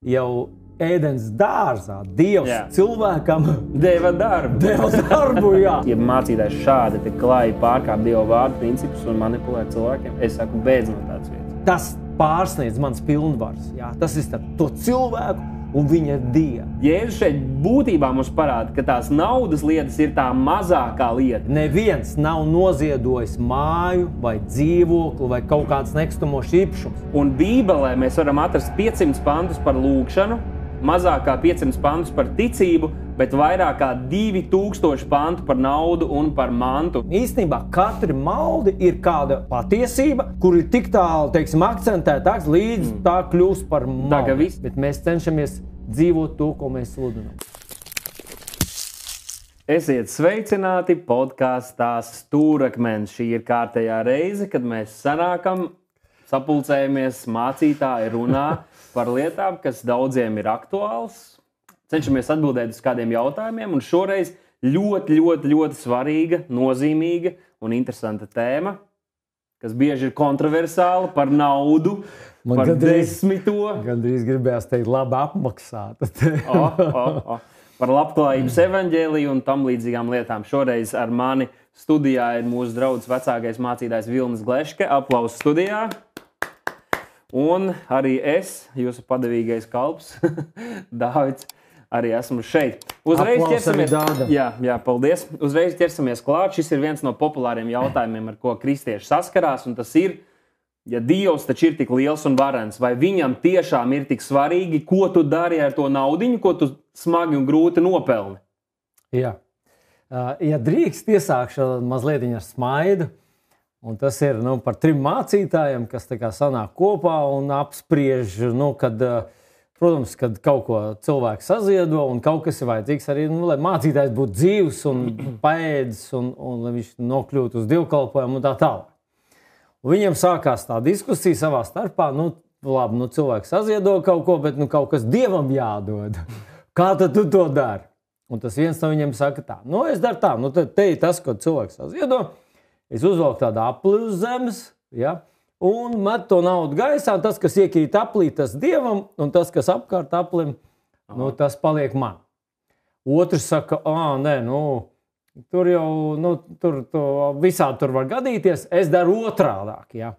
jau ēdens dārzā Dievs cilvēkam deva darbu, jā. Ja mācītājs šādi te klāji pārkāp Dieva vārdu principus un manipulē cilvēkiem, es saku, beidz no tādas vietas. Tas pārsniedz mans pilnvars, jā. Tas ir starp to cilvēku un viņa Dievu. Jēzus šeit būtībā mums parāda, ka tās naudas lietas ir tā mazākā lieta. Neviens nav noziedojis māju vai dzīvokli vai kaut kāds nekustamos īpašums. Un Bībelē mēs varam atrast 500 pantus par lūgšanu, mazāk kā 500 pantus par ticību, bet vairāk kā 2000 pantu par naudu un par mantu. Īstenībā katra malde ir kāda patiesība, kur ir tik tālu, teiksim, akcentētāks, līdz tā kļūst par maldi. Bet mēs cenšamies dzīvot to, ko mēs sludinām. Esiet sveicināti podkastā Stūrakmens. Šī ir kārtējā reize, kad mēs sanākam, sapulcējamies, mācītāji runā par lietām, kas daudziem ir aktuāls. Cenšamies atbildēt uz kādiem jautājumiem, un šoreiz ļoti svarīga, nozīmīga un interesanta tēma, kas bieži ir kontroversāla par naudu, par desmito. Gandrīz gribējās teikt labi apmaksāta. Par labklājības evaņģēliju un tam līdzīgām lietām. Šoreiz ar mani studijā ir mūsu draugs vecākais mācītājs Vilnis Gleške. Aplausos studijā. Un arī es, jūsu padevīgais kalps, Dāvids, arī esmu šeit. Uzreiz ķersamies. Jā, paldies. Uzreiz ķersamies klāt. Šis ir viens no populāriem jautājumiem, ar ko kristieši saskarās, un tas ir, ja Dievs taču ir tik liels un varens, vai viņam tiešām ir tik svarīgi, ko tu dari ar to naudiņu, ko tu smagi un grūti nopelni? Jā. Ja drīkst, iesākšu mazliet ar smaidu. Un tas ir par 3 mācītājiem, kas tā kā sanāk kopā un apspriež, protams, kad kaut ko cilvēks saziedo un kaut kas ir vajadzīgs arī, lai mācītājs būtu dzīvs un paēdis un lai viņš nokļūtu uz dievkalpojumu un tā tālāk. Un viņiem sākās tā diskusija savā starpā, labi, cilvēks saziedo kaut ko, bet kaut kas Dievam jādod. Kā tad tu to dari? Un tas viens no viņiem saka tā, es daru tā, tad te ir tas, ko cilvēks saziedo. Es uzvelku tādu apli uz zemes, ja, un metu to naudu gaisā. Tas, kas iekrīt aplī, tas Dievam, un tas, kas apkārt aplim, tas paliek man. Otrs saka, tur jau, visādi tur var gadīties, es daru otrādāk. Ja.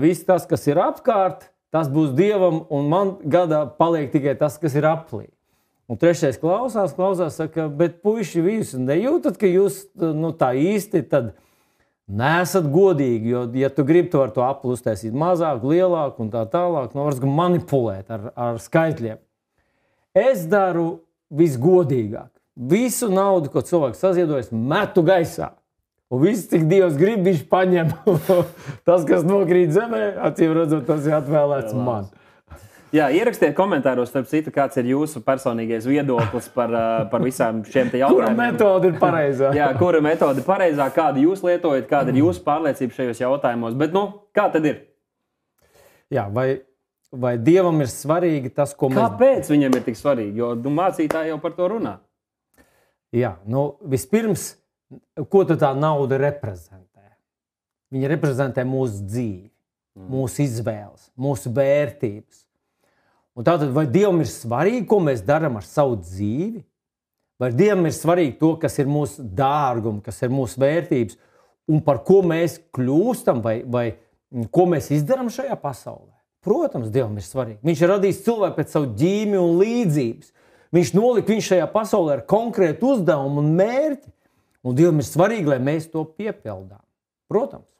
Viss tas, kas ir apkārt, tas būs Dievam, un man gadā paliek tikai tas, kas ir aplī. Un trešais klausās, saka, bet puiši visi nejūtat, ka jūs tā īsti tad nesat godīgi, jo, ja tu gribi to ar to apli uztaisīt mazāk, lielāk un tā tālāk, var manipulēt ar skaitļiem. Es daru visgodīgāk. Visu naudu, ko cilvēks saziedojas, metu gaisā. Un viss, cik Dievs grib, viņš paņem. Tas, kas nokrīt zemē, acīm redzot, tas ir atvēlēts man. Jā, ierakstiet komentāros, starp citu, kāds ir jūsu personīgais viedoklis par visām šiem te jautājumiem. Kura metode ir pareizā? Jā, kura metode ir pareizā, kādu jūs lietojat, kāda ir jūsu pārliecība šajos jautājumos. Bet, kā tad ir? Jā, vai Dievam ir svarīgi tas, ko mēs... Kāpēc viņam ir tik svarīgi? Jo mācītāji jau par to runā. Jā, vispirms, ko tad tā nauda reprezentē? Viņa reprezentē mūsu dzīvi, mūsu izvēles, mūsu vērtības. Un tātad, vai Dievam ir svarīgi, ko mēs darām ar savu dzīvi? Vai Dievam ir svarīgi to, kas ir mūsu dārgumi, kas ir mūsu vērtības, un par ko mēs kļūstam, vai ko mēs izdarām šajā pasaulē? Protams, Dievam ir svarīgi. Viņš ir radījis cilvēku pēc savu ģīmi un līdzības. Viņš nolika viņu šajā pasaulē ar konkrētu uzdevumu un mērķi. Un Dievam ir svarīgi, lai mēs to piepildām. Protams.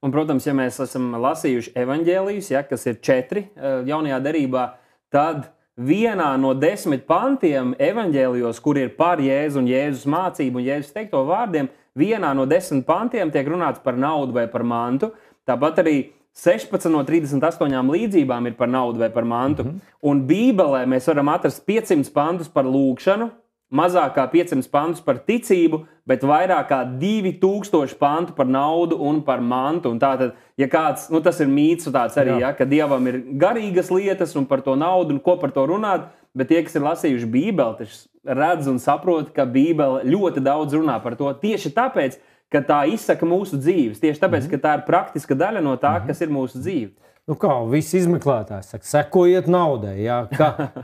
Un, protams, ja mēs esam lasījuši evaņģēlijus, kas ir 4 jaunajā derībā, tad vienā no 10 pantiem evaņģēlijos, kur ir par Jēzu un Jēzus mācību un Jēzus teikto vārdiem, vienā no 10 pantiem tiek runāts par naudu vai par mantu. Tāpat arī 16 no 38 līdzībām ir par naudu vai par mantu. Un Bībelē mēs varam atrast 500 pantus par lūgšanu, mazāk kā 500 pantus par ticību, bet vairāk kā 2000 pantu par naudu un par mantu. Un tātad, ja kāds, tas ir mīts tāds arī, ka Dievam ir garīgas lietas un par to naudu un ko par to runāt, bet tie, kas ir lasījuši Bībeli, taču redz un saprot, ka Bībele ļoti daudz runā par to tieši tāpēc, ka tā izsaka mūsu dzīves, tieši tāpēc, ka tā ir praktiska daļa no tā, kas ir mūsu dzīve. visi izmeklētāji saka, sekojiet naudai, jā,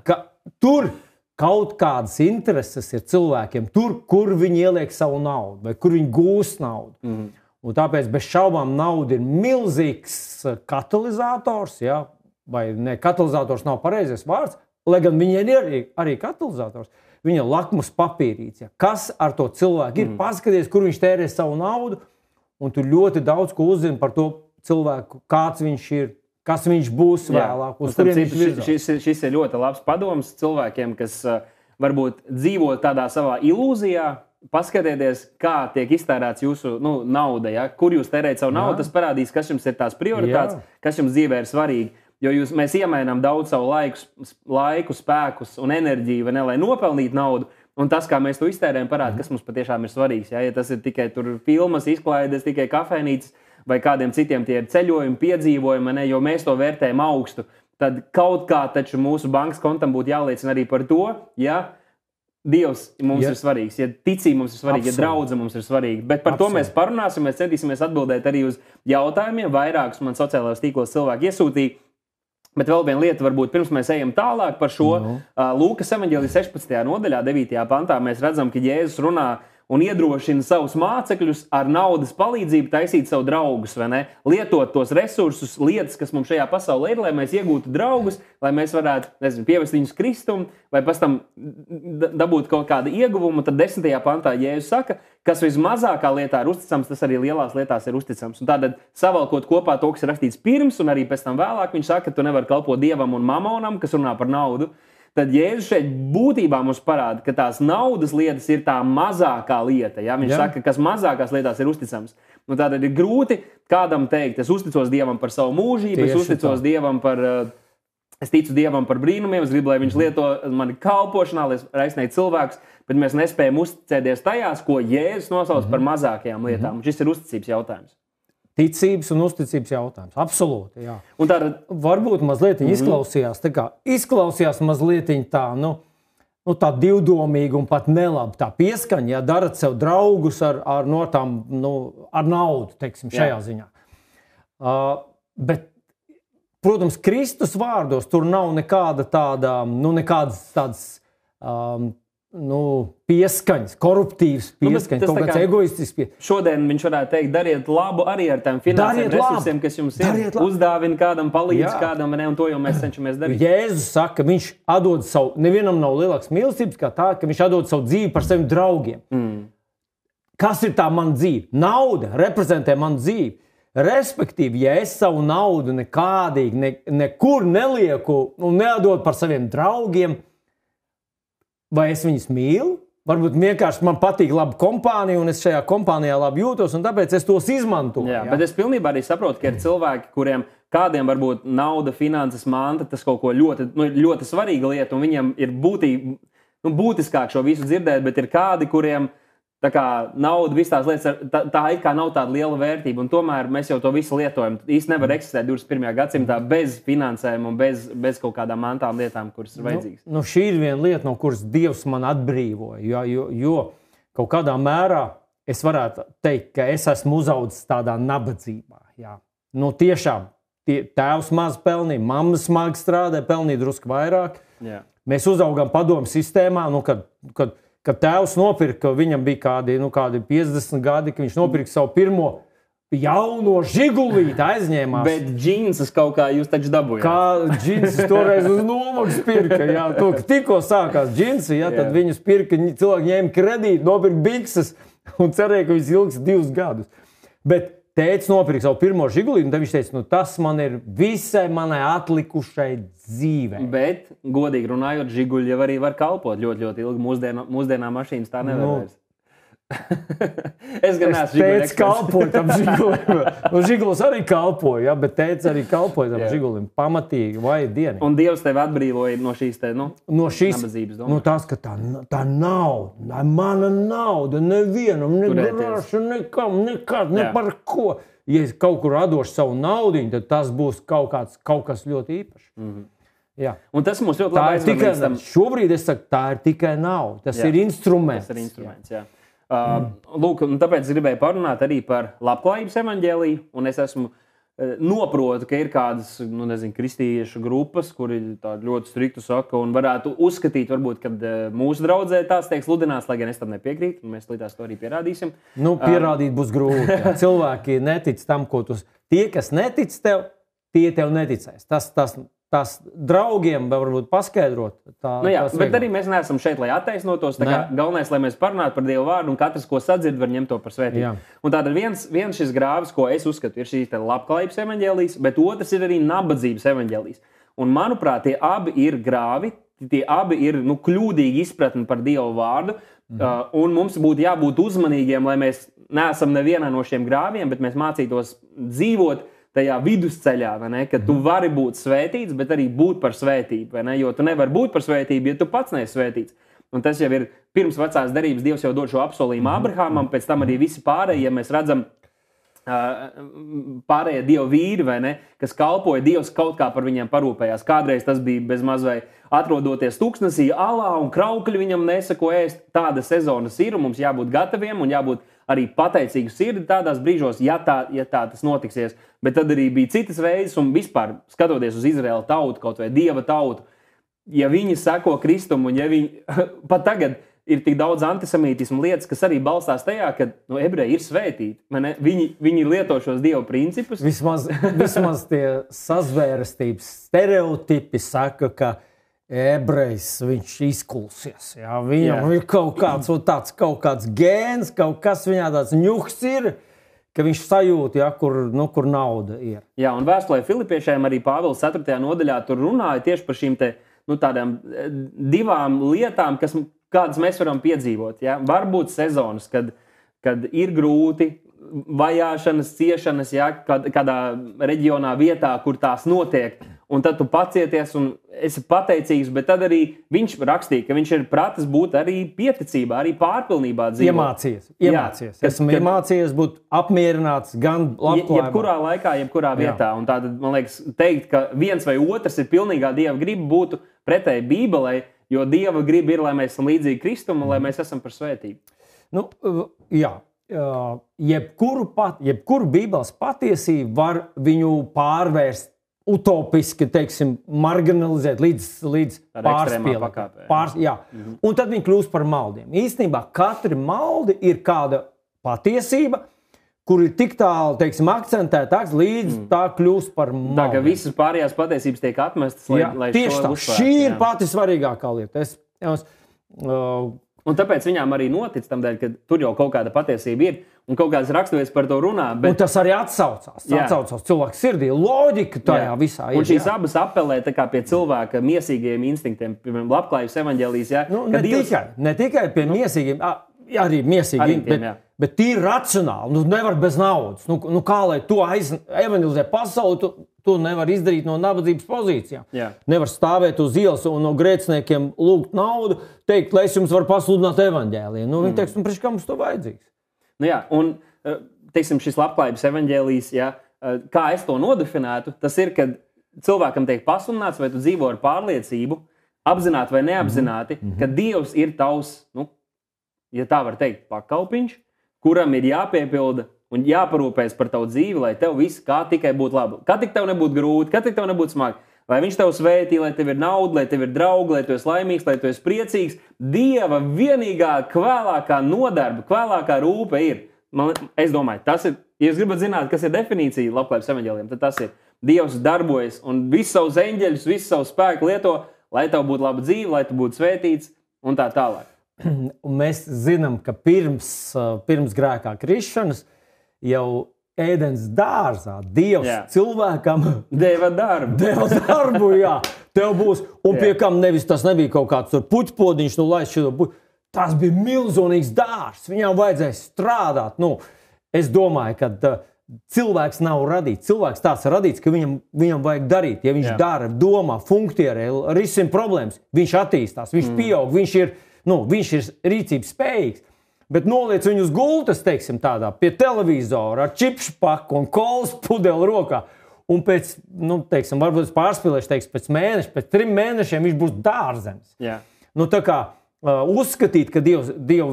ka tur kaut kādas intereses ir cilvēkiem, tur, kur viņi ieliek savu naudu, vai kur viņi gūs naudu. Un tāpēc bez šaubām nauda ir milzīgs katalizators, jā, vai ne, katalizators nav pareizais vārds, lai gan viņiem ir arī katalizators. Viņa lakmus papīrīts, jā. Kas ar to cilvēku ir, paskaties, kur viņš tērē savu naudu, un tu ļoti daudz ko uzzini par to cilvēku, kāds viņš ir, kas viņš būs vēlāk. Šis ir ļoti labs padoms cilvēkiem, kas varbūt dzīvo tādā savā ilūzijā. Paskatieties, kā tiek iztērēts jūsu nauda, ja? Kur jūs tērējat savu naudu, tas parādīs, kas jums ir tās prioritātes, kas jums dzīvē ir svarīgi. Jo mēs iemainām daudz savu laiku, spēkus un enerģiju, vai ne, lai nopelnītu naudu. Un tas, kā mēs to iztērējam, parāda, kas mums patiešām ir svarīgs. Ja tas ir tikai tur filmas, izklaides, tikai kafejnīcas vai kādiem citiem tie ir ceļojumi, piedzīvojumi, ne, jo mēs to vērtējam augstu, tad kaut kā taču mūsu bankas kontam būtu jāliecina arī par to, ja Dievs mums ir svarīgs, ja ticība mums ir svarīga, ja draudze mums ir svarīga. Bet par to mēs parunāsim, mēs centīsimies atbildēt arī uz jautājumiem. Vairākus man sociālajos tīklos cilvēki iesūtīja. Bet vēl viena lieta, varbūt pirms mēs ejam tālāk par šo. Lūkas evaņģēlija 16. nodaļā, 9. pantā, mēs redzam, ka Jēzus runā un iedrošina savus mācekļus ar naudas palīdzību taisīt savu draugus, vai ne? Lietot tos resursus, lietas, kas mums šajā pasaulē ir, lai mēs iegūtu draugus, lai mēs varētu, pievest viņus Kristum, vai pēc tam dabūt kaut kādu ieguvumu. Tad 10. pantā Jēzus saka, kas vismazākā lietā ir uzticams, tas arī lielās lietās ir uzticams. Un tātad savalkot kopā to, kas ir rakstīts pirms, un arī pēc tam vēlāk, viņš saka, ka tu nevari kalpot Dievam un mamonam, kas runā par naudu. Tad Jēzus šeit būtībā mums parāda, ka tās naudas lietas ir tā mazākā lieta. Ja? Viņš saka, kas mazākās lietās ir uzticams. Nu, tātad ir grūti kādam teikt, es uzticos Dievam par savu mūžību, es ticu Dievam par brīnumiem, es gribu, lai viņš lieto mani kalpošanā, lai aizsniegtu cilvēkus, bet mēs nespējam uzticēties tajās, ko Jēzus nosauc par mazākajām lietām. Un šis ir uzticības jautājums. Ticības un uzticības jautājums. Absolūti, jā. Un tā varbūt mazliet izklausījās mazliet tā, tā divdomīgi un pat nelabi tā pieskaņa, ja darat sev draugus ar naudu, teiksim, šajā ziņā. Bet, protams, Kristus vārdos tur nav nekāda tāda, nekādas tādas pieskaņas, koruptīvas pieskaņas, kaut kāds egoistisks pieskaņas. Šodien viņš varētu teikt, dariet labu arī ar tām finansēm resursiem, kas jums ir. Uzdāvina kādam, palīdz kādam, un to jau mēs cenšamies darīt. Jēzus saka, viņš atdod savu, nevienam nav lielāks mīlestības kā tā, ka viņš atdod savu dzīvi par saviem draugiem. Kas ir tā mana dzīve? Nauda reprezentē manu dzīvi. Respektīvi, ja es savu naudu nekādīgi, nekur nelieku un neatdodu par saviem draugiem, vai es viņus mīlu? Varbūt vienkārši man patīk laba kompānija, un es šajā kompānijā labi jūtos, un tāpēc es tos izmantoju. Jā, bet es pilnībā arī saprotu, ka ir cilvēki, kuriem kādiem varbūt nauda, finanses, manta, tas kaut ko ļoti svarīga lieta, un viņiem ir būtiskāk šo visu dzirdēt, bet ir kādi, kuriem tā kā nauda, visas tās lietas, tā it kā nav tāda liela vērtība, un tomēr mēs jau to visu lietojam. Īsti nevar eksistēt 21. gadsimtā bez finansēm un bez kaut kādām mantām lietām, kuras ir vajadzīgas. Šī ir viena lieta, no kuras Dievs man atbrīvoja, jo kaut kādā mērā es varētu teikt, ka es esmu uzaudzis tādā nabadzībā. Jā. Tiešām, tēvs maz pelnīja, mamma smagi strādāja, pelnīja drusku vairāk. Jā. Mēs uzaugām padomu sistēmā, kad tēvs nopirka, viņam bija kādi 50 gadi, ka viņš nopirka savu pirmo jauno žigulīti, aizņēmās. Bet džinsus kaut kā jūs taču dabūjāt. Kā džinsus toreiz uz nomaksas pirka, jā. Tikko sākās džinsi, jā, tad viņus pirka, cilvēki ņēma kredītu, nopirka bikses un cerēja, ka viņas ilgs 2 gadus. Bet tētis nopirka savu pirmo žigulīti, un tad viņš teica, tas man ir visai manai atlikušai dzīvē. Bet, godīgi runājot, žiguļi jau arī var kalpot ļoti, ļoti ilgi. Mūsdienā mašīnas tā nevar vairs. Es gan neesmu žiguļi eksperts. Kalpoja tam žigulim. Žigulis arī kalpoja, ja, bet tētis arī kalpoja tam žigulim. Pamatīgi, vai dieni. Un Dievs tevi atbrīvoja no šīs nabadzības. Tās, ka tā nauda, mana nauda, nevienam, negrāšu, nekam, nekad, ne par ko. Ja es kaut kur radošu savu naudiņu, tad tas būs kaut kas ļoti īpašs. Jā. Un tas mums ļoti labi aizved. Šobrīd es saku, tā ir tikai nauda. Tas ir instruments. Tas ir instruments, jā. Lūk, un tāpēc gribēju parunāt arī par labklājības evaņģēliju, un es esmu noprotu, ka ir kādas, kristiešu grupas, kuri tādu ļoti striktu saka, un varētu uzskatīt, varbūt, ka mūsu draudzē tās tiek sludināts, lai gan es tam nepiekrītu, un mēs līdz to arī pierādīsim. Pierādīt būs grūti. Jā. Cilvēki netic tam, ko tu... Tie, kas netic tev, tie tev neticēs. Tas draugiem varbūt paskaidrot. Bet arī mēs neesam šeit, lai attaisnotos. Galvenais, lai mēs parunātu par Dievu vārdu, un katrs, ko sadzird, var ņemt to par svētību. Jā. Un tātad viens šis grāvis, ko es uzskatu, ir šīs labklājības evaņģēlijas, bet otrs ir arī nabadzības evaņģēlijas. Un, manuprāt, tie abi ir grāvi, tie abi ir kļūdīgi izpratni par Dievu vārdu, un mums būtu jābūt uzmanīgiem, lai mēs neesam nevienā no šiem grāviem, bet mēs mācītos dzīvot tajā vidusceļā, kad tu vari būt svētīts, bet arī būt par svētību, jo tu nevari būt par svētību, ja tu pats neesi svētīts. Un tas jau ir pirms vecās derības, Dievs jau dod šo apsolījumu Abrahamam, pēc tam arī visi pārējie, ja mēs redzam pārējie Dieva vīri, kas kalpoja, Dievs kaut kā par viņiem parūpējās. Kādreiz tas bija bez maz vai atrodoties tūkstnesī alā un kraukļi viņam nesako ēst. Tāda sezonas ir, un mums jābūt gataviem un jābūt arī pateicīgu sirdi tādās brīžos, ja tā tas notiksies. Bet tad arī bija citas reizes, un vispār skatoties uz Izraēla tautu, kaut vai Dieva tautu, ja viņi seko Kristum, un ja viņi pat tagad ir tik daudz antisemītismu lietas, kas arī balstās tajā, ka ebreji ir svētīti. Viņi lieto šos Dieva principus. Vismaz tie sazvērestības stereotipi saka, ka ebrejs viņš izkulsies. Jā? Viņam ir kaut kāds gēns, kaut kas viņā tāds ņuks ir, ka viņš sajūt, kur nauda ir. Jā, un vēstulē Filipiešiem arī Pāvils 4. nodaļā tur runāja tieši par šīm tādām divām lietām, kādas mēs varam piedzīvot. Ja? Varbūt sezonas, kad ir grūti, vajāšanas, ciešanas, kādā reģionā, vietā, kur tās notiek, un tad tu pacieties un esi pateicīgs, bet tad arī viņš rakstīja, ka viņš ir pratis būt arī pieticībā, arī pārpilnībā dzīvot. Iemācies. Esmu iemācījies būt apmierināts gan labklājībā. Jebkurā laikā, jebkurā vietā. Un tātad, man liekas, teikt, ka viens vai otrs ir pilnīgā Dieva griba, būtu pretēji Bībelei, jo Dieva griba ir, lai mēs esam līdzīgi Kristum un lai mēs esam par svētību. Jebkuru Bībeles patiesību var viņu pārvērst utopiski, marginalizēt līdz pārspīlēm. Un tad viņi kļūst par maldiem. Īstenībā katra maldi ir kāda patiesība, kur ir tik tālu, akcentētāks, līdz tā kļūst par maldiem. Tā, ka visas pārējās patiesības tiek atmestas, lai tieši tā. Šī ir pati svarīgākā lieta. Un tāpēc viņām arī notic tam dēļ, ka tur jau kaut kāda patiesība ir, un kaut kādas raksturvietas par to runā. Un tas arī atsaucās cilvēku sirdī, loģika tajā visā. Un šīs abas apelē pie cilvēka miesīgajiem instinktiem, piemēram, labklājības evaņģēlijas. Ne tikai pie miesīgiem, arī miesīgiem, bet tīri racionāli. Nevar bez naudas. Kā lai to evaņģelizē pasauli, to nevar izdarīt no nabadzības pozīcijām. Nevar stāvēt uz ielas un no grēciniekiem lūgt naudu, teikt, lai es jums varu pasludināt evaņģēliju. Viņi teiks, priekš kā mums to vajadzīgs? Un šis labklājības evaņģēlijs, kā es to nodefinētu, tas ir, kad cilvēkam tiek pasludināts, vai tu dzīvo ar pārliecību, apzināti vai neapzināti, ka Dievs ir tavs, ja tā var teikt, pakalpiņš, kuram ir jāpiepilda un jāparūpēs par tavu dzīvi, lai tev viss kā tikai būtu labi. Kā tik tev nebūtu grūti, kā tik tev nebūtu smagi. Lai viņš tev svētī, lai tev ir nauda, lai tev ir draugi, lai tu esi laimīgs, lai tu esi priecīgs. Dieva vienīgā kvēlākā nodarba, kvēlākā rūpe ir. Es domāju, tas ir, ja jūs gribat zināt, kas ir definīcija labklājības evaņģēlijiem, tad tas ir Dievs darbojas un visus savus eņģeļus, visu savu spēku lieto, lai tev būtu laba dzīve, lai tu būtu svētīts un tā tālāk. Un mēs zinām, ka pirms grēkā krišanas jau ēdens dārzā Dievs cilvēkam deva darbu, tev būs, un pie kam tas nebija kaut kāds puķpodiņš, laist šito puķi. Tas bija milzīgs dārzs, viņam vajadzēja strādāt. Es domāju, ka cilvēks nav radīts. Cilvēks tāds radīts, ka viņam vajag darīt. Ja viņš dara, domā, funkcionē, risina problēmas, viņš attīstās, viņš pieaug, viņš ir rīcības spējīgs. Bet noliec viņu uz gultas, tādā, pie televizora, ar čipšu paku un kolas pudeli rokā. Un pēc, varbūt es pārspīlēšu, pēc mēneša, pēc 3 mēnešiem viņš būs dārzenis. Tā kā uzskatīt, ka Dieva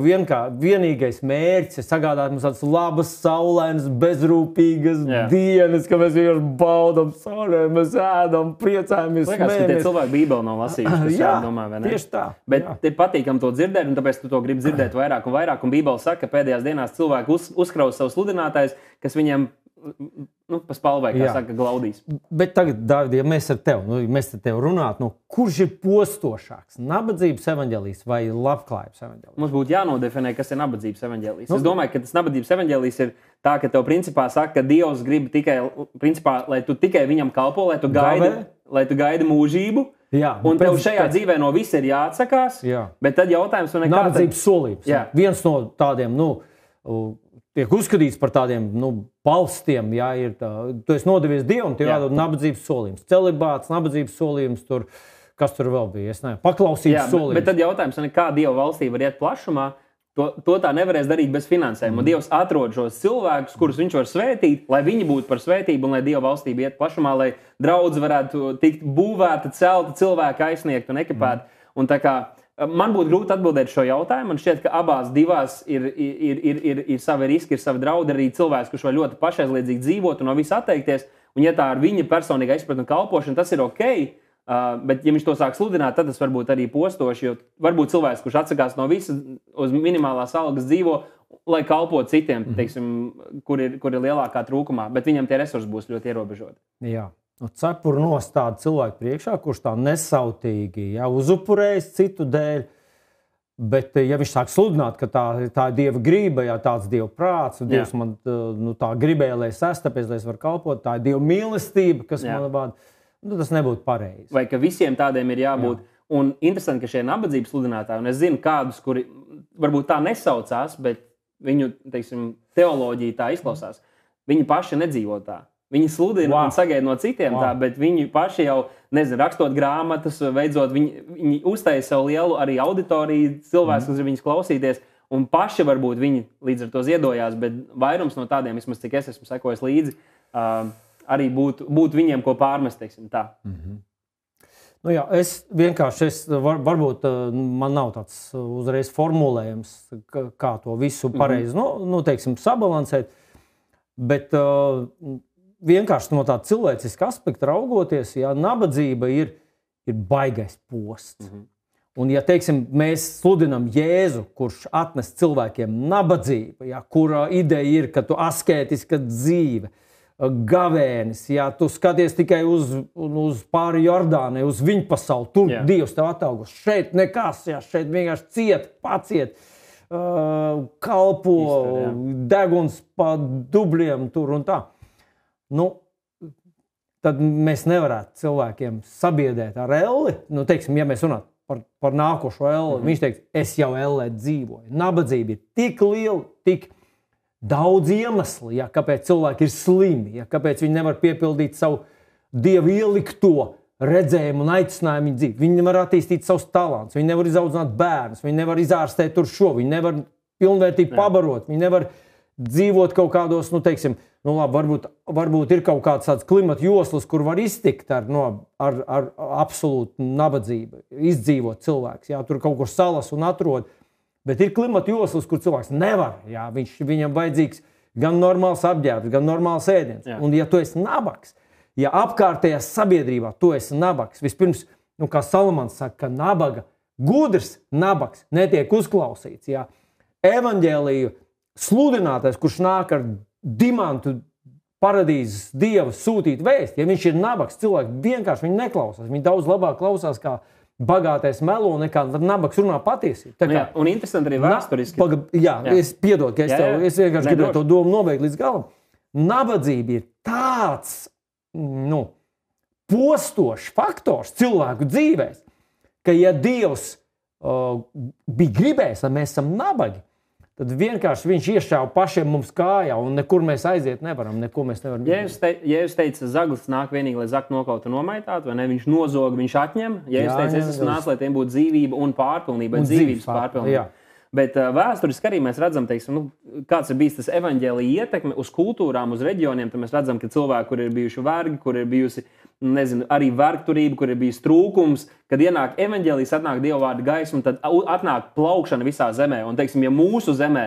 vienīgais mērķis ir sagādāt mums tādas labas, saulainas, bezrūpīgas dienas, ka mēs vienkārši baudam saulē, mēs ēdam, priecājamies, smējamies. Liekas, ka tie cilvēki Bībeli nav lasījuši, tas domā, vai ne? Tieši tā. Bet ir patīkami to dzirdēt, un tāpēc tu to gribi dzirdēt vairāk un vairāk, un Bībeli saka, ka pēdējās dienās cilvēki uzkraus savus sludinātājus, kas viņiem pa spalvai, kā saka, glaudīs. Bet tagad, Dāvid, ja mēs ar tevi runātu, kurš ir postošāks? Nabadzības evaņģēlijs vai labklājības evaņģēlijs? Mums būtu jānodefinē, kas ir nabadzības evaņģēlijs. Es domāju, ka tas nabadzības evaņģēlijs ir tā, ka tev principā saka, ka Dievs grib tikai, principā, lai tu tikai viņam kalpo, lai tu gaidi mūžību. Jā, un tev šajā dzīvē no visa ir jāatsakās, bet tad jautājums... Nabadzības solības. Viens no tādiem, tiek uzskatīts par tādiem balstiem, tu esi nodevies Dievam, tev jādod nabadzības solījums. Celibāts, nabadzības solījums, kas tur vēl bija, es nezinu, paklausības solījums. Bet tad jautājums, kā Dieva valstī var iet plašumā, to tā nevarēs darīt bez finansējuma. Dievs atrod šos cilvēkus, kurus viņš var svētīt, lai viņi būtu par svētību un lai Dieva valstība iet plašumā, lai draudze varētu tikt būvēta, celta, cilvēki aizsniegt un ekipēta. Un tā kā man būtu grūti atbildēt šo jautājumu. Man šķiet, ka abās divās ir savi riski, ir savi draudi. Arī cilvēks, kurš var ļoti pašaizliedzīgi dzīvot un no visa atteikties. Un ja tā ir viņa personīga izpratne un kalpošana, tas ir ok. Bet ja viņš to sāk sludināt, tad tas varbūt arī postoši. Jo varbūt cilvēks, kurš atsakās no visa, uz minimālās algas dzīvo, lai kalpotu citiem, teiksim, kur ir lielākā trūkumā. Bet viņam tie resursi būs ļoti ierobežoti. Jā. Cepuru nostāda cilvēku priekšā, kurš tā nesautīgi uzupurējas citu dēļ, bet ja viņš sāk sludināt, ka tā ir Dieva grība, tāds Dieva prāts, un Dievs man tā gribēja, lai es esmu, tāpēc, lai es varu kalpot, tā ir Dieva mīlestība, kas man vada, tas nebūtu pareizi. Vai ka visiem tādiem ir jābūt. Un interesanti, ka šie nabadzības sludinātāji, un es zinu kādus, kuri varbūt tā nesaucās, bet viņu, teiksim, teoloģija tā izklausās, viņi paši nedzīvo tā. Viņi sludina un sagaida no citiem tā, bet viņi paši jau, rakstot grāmatas, veidzot, viņi uztaisa sev lielu arī auditoriju, cilvēks, kas ir viņus klausīties, un paši varbūt viņi līdz ar to ziedojās, bet vairums no tādiem, vismaz cik es esmu sekojis līdzi, arī būtu viņiem ko pārmest, teiksim tā. Es vienkārši, varbūt man nav tāds uzreiz formulējums, kā to visu pareizi, teiksim, sabalansēt, bet vienkārši no tāda cilvēciska aspekta raugoties, nabadzība ir baigais posts. Un, ja teiksim, mēs sludinam Jēzu, kurš atnes cilvēkiem nabadzību, kura ideja ir, ka tu askētiska dzīve, gavēnis, tu skaties tikai uz pāri Jordānai, uz viņu pasauli, tur Dievs tev atalgos, šeit nekas, šeit vienkārši ciet, paciet, kalpo, deguns pa dubļiem tur un tā. Tad mēs nevarētu cilvēkiem sabiedēt ar elli. Teiksim, ja mēs runātu par nākošo elli, viņš teiks, es jau ellē dzīvoju. Nabadzība ir tik liela, tik daudz iemeslu, kāpēc cilvēki ir slimi, kāpēc viņi nevar piepildīt savu Dievu ielikto redzējumu un aicinājumu dzīvi. Viņi nevar attīstīt savus talantus, viņi nevar izaudzināt bērnus, viņi nevar izārstēt tur šo, viņi nevar pilnvērtīgi pabarot, viņi nevar dzīvot kaut kādos, teiksim, varbūt ir kaut kāds tāds klimata joslas, kur var iztikt ar absolūtu nabadzību, izdzīvot cilvēks. Tur kaut kur salas un atrod, bet ir klimata joslas, kur cilvēks nevar. Viņam vajadzīgs gan normāls apģērbs, gan normāls ēdiens. Un ja tu esi nabags, ja apkārtējā sabiedrībā tu esi nabags, vispirms, kā Salamans saka, ka nabaga, gudrs nabags netiek uzklausīts. Evaņģēliju sludinātais, kurš nāk ar dimantu paradīzes Dieva sūtīt vēsti, ja viņš ir nabags, cilvēki vienkārši viņu neklausās. Viņi daudz labāk klausās, kā bagātais melo, nekā nabags runā patiesību. Un interesanti arī vēsturiski. Es piedodu, ka es vienkārši gribēju to domu nobeigt līdz galam. Nabadzība ir tāds postošs faktors cilvēku dzīvēs, ka ja Dievs bija gribējis, lai mēs esam nabagi, tad vienkārši viņš iešāva pašiem mums kājā, un nekur mēs aiziet nevaram, neko mēs nevaram. Jēzus teica, zaglis nāk vienīgi, lai zakt nokaut un nomaitātu, vai ne? Viņš nozog, viņš atņem. Jēzus teica, es esmu nācis, lai tiem būtu dzīvība un pārpilnība, dzīvības pārpilnība. Bet vēsturiski arī mēs redzam, teiksim, kāds ir bijis tas evaņģēlija ietekme uz kultūrām, uz reģioniem, tad mēs redzam, ka cilvēki, kur ir bijuši vergi, kur ir bijusi nezinu, arī vergturība, kur ir bijis trūkums, kad ienāk evaņģēlijas, atnāk Dieva vārda gaisma, tad atnāk plaukšana visā zemē. Un, teiksim, ja mūsu zemē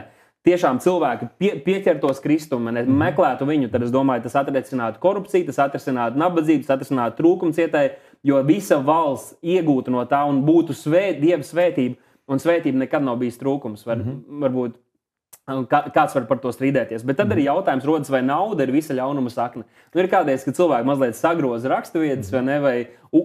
tiešām cilvēki pieķertos Kristumu, meklētu viņu, tad es domāju, tas atrisinātu korupciju, tas atrisinātu nabadzību, tas atrisinātu trūkumu cietēji, jo visa valsts iegūtu no tā un būtu Dieva svētība, un svētība nekad nav bijis trūkums. Varbūt kāds var par to strīdēties. Bet tad arī jautājums rodas, vai nauda ir visa ļaunuma sakne. Ir kādreiz, kad cilvēki mazliet sagroza raksturvietas, vai ne, vai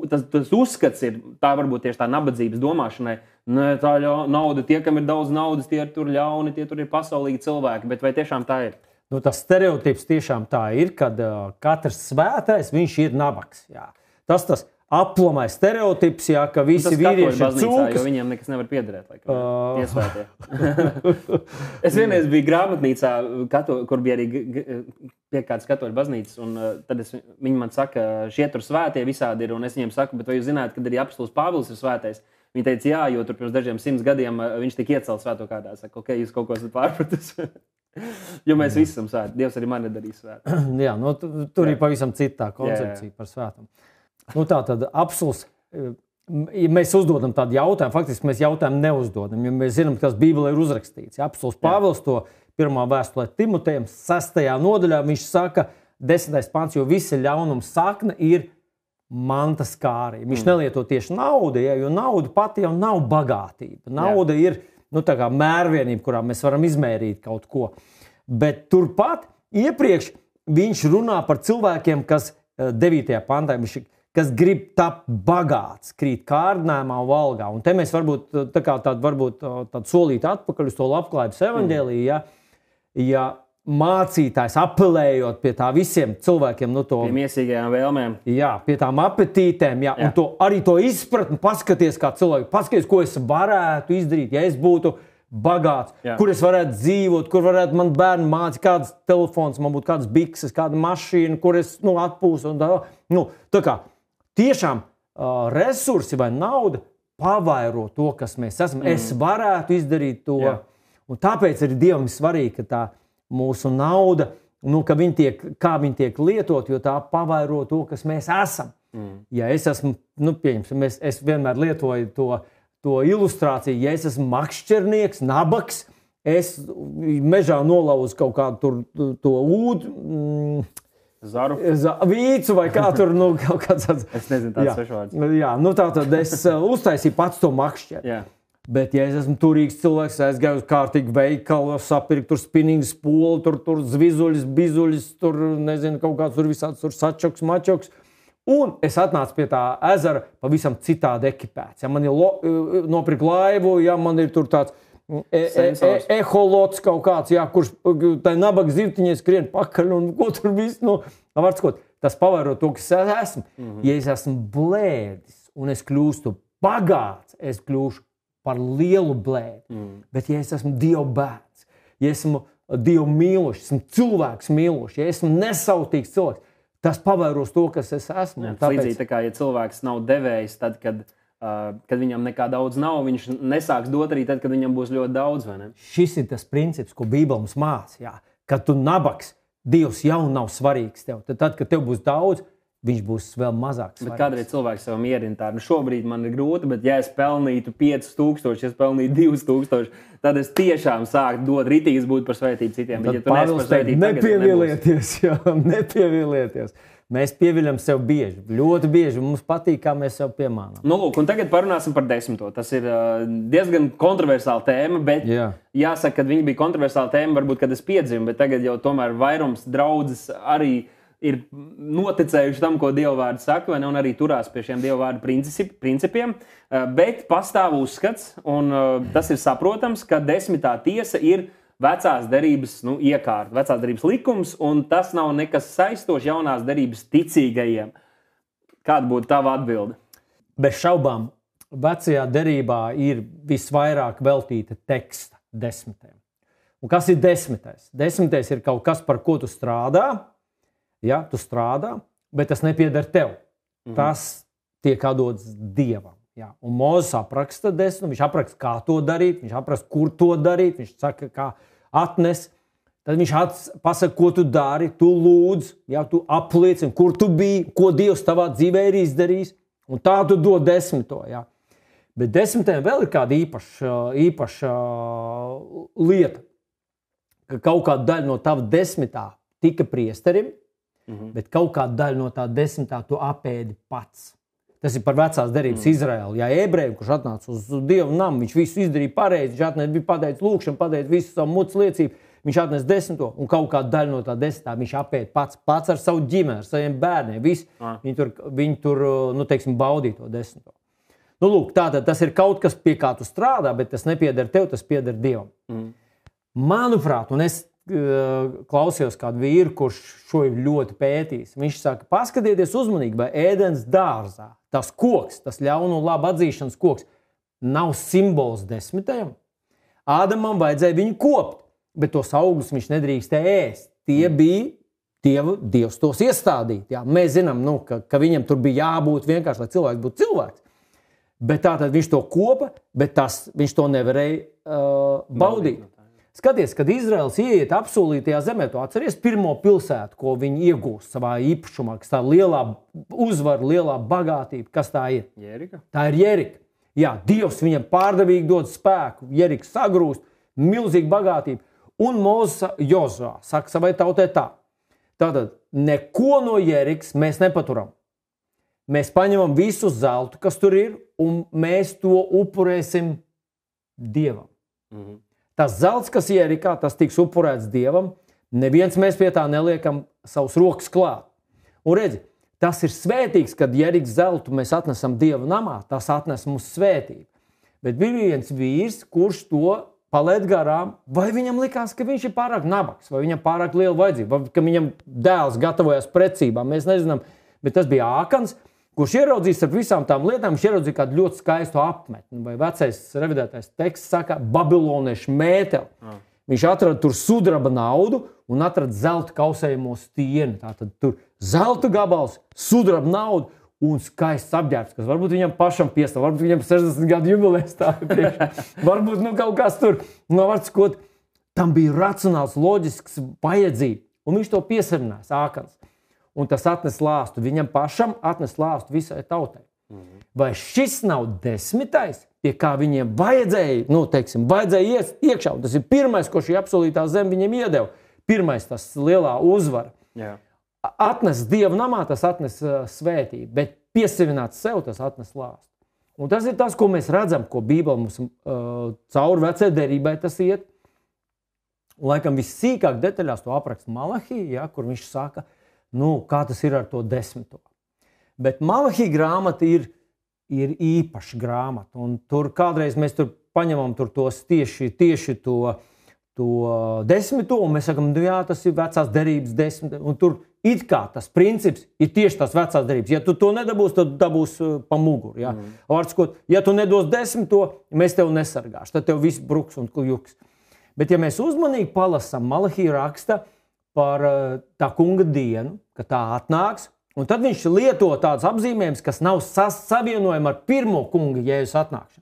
tas uzskats ir, tā varbūt tieši tā nabadzības domāšanai, ne, tā nauda, tie, kam ir daudz naudas, tie ir tur ļauni, tie tur ir pasaulīgi cilvēki, bet vai tiešām tā ir? Nu, tas stereotips tiešām tā ir, kad katrs svētais, viņš ir nabaks. Jā. Tas aplamais stereotips, jā, ka visi vīrieši ir cūkas. Jo viņiem nekas nevar piederēt, laikam, iesvētie. Es vienreiz biju grāmatnīcā, kur bija arī pie kādas katoļu baznīcas, un tad viņi man saka, šie tur svētie visādi ir, un es viņiem saku, bet vai jūs zināt, kad arī apostols Pāvils ir svētais? Viņi teica, jā, jo tur pirms dažiem 100 gadiem viņš tika iecelts svēto kārtā. Saka, ok, jūs kaut ko esat pārpratis. Jo mēs visi esam svēti. Dievs arī mani darīs svētu. Jā, nu, tur ir pavisam citā koncepcija par svētumu. Nu, tā tad apostols, ja mēs uzdodam tādu jautājumu, faktiski mēs jautājumu neuzdodam, jo mēs zinām, kas Bībelē ir uzrakstīts. Apostols Pāvils to pirmā vēstulē Timotejam 6. nodaļā, viņš saka, 10. pants, jo visa ļaunuma sakne ir mantas kārība. Viņš nelieto tieši naudu, ja, jo nauda pati jau nav bagātība. Nauda ir tā kā mērvienība, kurā mēs varam izmērīt kaut ko. Bet turpat iepriekš viņš runā par cilvēkiem, kas 9. pantā, kas grib tapt bagāts, krīt kārdinājumā un valgā. Un te mēs varbūt tādu solīt atpakaļ uz to labklājības evaņģēliju, ja mācītājs apelējot pie tā visiem cilvēkiem, pie miesīgajām vēlmēm. Jā, pie tām apetītēm, un arī to izpratni, paskaties kā cilvēki, paskaties, ko es varētu izdarīt, ja es būtu bagāts, kur es varētu dzīvot, kur varētu man bērni mācīt, kāds telefons, man būtu kādas bikses, kāda mašīna, kur es atpūstu. Tā kā tiešām resursi vai nauda pavairo to, kas mēs esam. Es varētu izdarīt to. Un tāpēc arī Dievam ir svarīgi, ka tā mūsu nauda, kā viņa tiek lietot, jo tā pavairo to, kas mēs esam. Ja es esmu, pieņemsim, es vienmēr lietoju to ilustrāciju, ja es esmu makšķernieks, nabaks, es mežā nolauzu kaut kādu to ūdu, Zaru. Vīcu vai kā tur, kaut kāds tāds. Es nezinu tāds svešvārds. Jā, tātad es uztaisīju pats to makšķeri. Jā. Bet, ja es esmu turīgs cilvēks, es gāju uz kārtīgu veikalu, sapirku tur spinīgu spolu, tur zvizuļus, bizuļus, tur, nezinu, kaut kāds tur visāds tur sačoks, mačoks. Un es atnācu pie tā ezera pavisam citādi ekipēts. Ja man ir nopirkt laivu, ja man ir tur tāds eholots kaut kāds, kurš tai nabaga zivtiņai skrien pakaļ un ko tur viss, tas pavairo to, kas es esmu. Ja es esmu blēdis un es kļūstu bagāts, es kļūšu par lielu blēdi. Bet ja es esmu Dieva bērns, ja esmu Dievu mīlošs, esmu cilvēks mīlošs, ja esmu nesautīgs cilvēks, tas pavairos to, kas es esmu. Līdzīgi tā kā, ja cilvēks nav devējs, tad, kad viņam nekā daudz nav, viņš nesāks dot arī tad, kad viņam būs ļoti daudz, vai ne? Šis ir tas princips, ko Bībele mums māca. Kad tu nabaks, Dievs jau nav svarīgs tev. Tad, kad tev būs daudz, viņš būs vēl mazāk svarīgs. Bet kādreiz cilvēks sev mierina tā, šobrīd man ir grūti, bet ja es pelnītu 5000, ja es pelnītu 2000, tad es tiešām sāku dot ritīgas būt par svētību citiem. Tad Pāvils teica, nepievilieties. Mēs pieviļam sev bieži, ļoti bieži. Mums patīk, kā mēs sev piemānām. Un tagad parunāsim par 10. Tas ir diezgan kontroversāla tēma, bet jāsaka, ka viņa bija kontroversāla tēma, varbūt, kad es piedzimu, bet tagad jau tomēr vairums draudzes arī ir noticējuši tam, ko Dieva vārds saka, vai ne, un arī turās pie šiem Dieva vārda principiem, bet pastāv uzskats, un tas ir saprotams, ka 10. tiesa ir vecās derības iekārta, vecās derības likums, un tas nav nekas saistošs jaunās derības ticīgajiem. Kāda būtu tava atbilde? Bez šaubām, vecajā derībā ir visvairāk veltīta teksta 10. Un kas ir 10? 10. ir kaut kas, par ko tu strādā. Ja, tu strādā, bet tas nepieder tev. Tas tiek atdots Dievam. Ja. Un Mūzes apraksta 10, viņš apraksta, kā to darīt, viņš apraksta, kur to darīt, viņš saka, kā atnes. Tad viņš pasaka, ko tu dari, tu lūdz, ja, tu apliecini, kur tu biji, ko Dievs tavā dzīvē ir izdarījis, un tā tu dod 10. Ja. Bet 10. vēl ir kāda īpaša lieta, ka kaut kāda daļa no tava 10. tika priesterim, bet kaut kāda daļa no tā 10. tu apēdi pats. Tas ir par vecās derības Izraēlu. Ja ebrejiem, kurš atnāca uz Dievu namu, viņš visu izdarīja pareizi, viņš bija pateicis lūkšanu, pateicis visu savu mutes liecību, viņš atnes 10. un kaut kādu daļu no tā 10. viņš apēd pats ar savu ģimeni, ar saviem bērniem. Viņi tur nu, teiksim, baudīja to 10. Nu, lūk, tātad tas ir kaut kas, pie kā tu strādā, bet tas nepieder tev, tas pieder Dievam. Manuprāt, un es klausījos kādu vīru, kurš šo ir ļoti pētījis. Viņš saka, paskatieties uzmanīgi, vai ēdens dārzā, tas koks, tas ļaunu un labu atzīšanas koks, nav simbols 10. Ādamam vajadzēja viņu kopt, bet tos augļus viņš nedrīkstēja ēst. Tie bija Dievs tos iestādīt. Jā. Mēs zinām, nu, ka viņam tur bija jābūt vienkārši, lai cilvēks būtu cilvēks. Bet tātad viņš to kopa, bet viņš to nevarēja baudīt. Skaties, kad Izraels ieiet apsolītajā zemē, tu atceries pirmo pilsētu, ko viņi iegūst savā īpašumā, kas tā lielā uzvara, lielā bagātība, kas tā ir? Jerika. Tā ir Jerika. Jā, Dievs viņam pārdevīgi dod spēku, Jerika sagrūst, milzīga bagātība. Un Mozus Jozuā saka savai tautai tā. Tātad, neko no Jerikas mēs nepaturam. Mēs paņemam visu zeltu, kas tur ir, un mēs to upurēsim Dievam. Tas zelts, kas Jerikā, tas tiks upurēts Dievam, neviens mēs pie tā neliekam savus rokas klāt. Un redzi, tas ir svētīgs, kad Jerikas zeltu mēs atnesam Dieva namā, tas atnes mums svētību. Bet bija viens vīrs, kurš to palaid garām, vai viņam likās, ka viņš ir pārāk nabags, vai viņam pārāk liela vajadzība, vai ka viņam dēls gatavojas precībām, mēs nezinām, bet tas bija Ākans, kurš ieraudzījis ar visām tām lietām, viņš ieraudzīja kādu ļoti skaistu apmetni, vai vecais revidētais teksts saka babiloniešu mēteli. Viņš atrada tur sudraba naudu un atrada zelta kausējamo stieni. Tātad tur zelta gabals, sudraba naudu un skaists apģērbs, kas varbūt viņam pašam piestāv, varbūt viņam 60 gadu jubilejas tā priekšā. Varbūt kaut kas tur, varbūt tam bija racionāls, loģisks vajadzība, un viņš to piesavinās Ākans. Un tas atnes lāstu. Viņam pašam atnes lāstu visai tautai. Vai šis nav 10. pie kā viņiem vajadzēja, nu, teiksim, vajadzēja iekšā? Tas ir pirmais, ko šī apsolītā zeme viņiem iedeva. Pirmais, tas lielā uzvara. Jā. Atnes Dieva namā, tas atnes svētību, bet piesavināt sev, tas atnes lāstu. Un tas ir tas, ko mēs redzam, ko Bībele mums cauri vecajai derībai tas iet. Un, laikam, vissīkāk detaļās to apraksta Malahija, ja, kur viņš saka, nu, kā tas ir ar to 10. Bet Malahija grāmata ir īpaša grāmata. Un tur kādreiz mēs tur paņemam tur tos tieši to 10. un mēs sakam, jā, tas ir vecās derības 10. Un tur it kā tas princips ir tieši tas vecās derības. Ja tu to nedabūsi, tad dabūs pa muguru. Ja? Vārdsakot, ja tu nedos 10. mēs tev nesargāšu. Tad tev viss bruks un juks. Bet ja mēs uzmanīgi palasam, Malahija raksta par tā kunga dienu, ka tā atnāks, un tad viņš lieto tādus apzīmējumus, kas nav savienojami ar pirmo kunga Jēzus atnākšanu.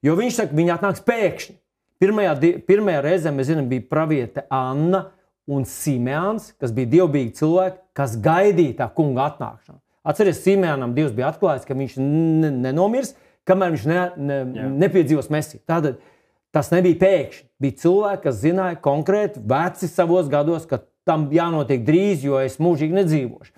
Jo viņš saka, viņa atnāks pēkšņi. Pirmajā reizē, mēs zinām, bija praviete Anna un Simeons, kas bija dievbijīgi cilvēki, kas gaidīja tā kunga atnākšanu. Atceries, Simeonam Dievs bija atklājis, ka viņš nenomirs, kamēr viņš nepiedzīvos Mesiju. Tātad tas nebija pēkšņi. Bija cilvēki, kas zināja konkrēti, veci savos gados, ka tam jānotiek drīz, jo es mūžīgi nedzīvošu.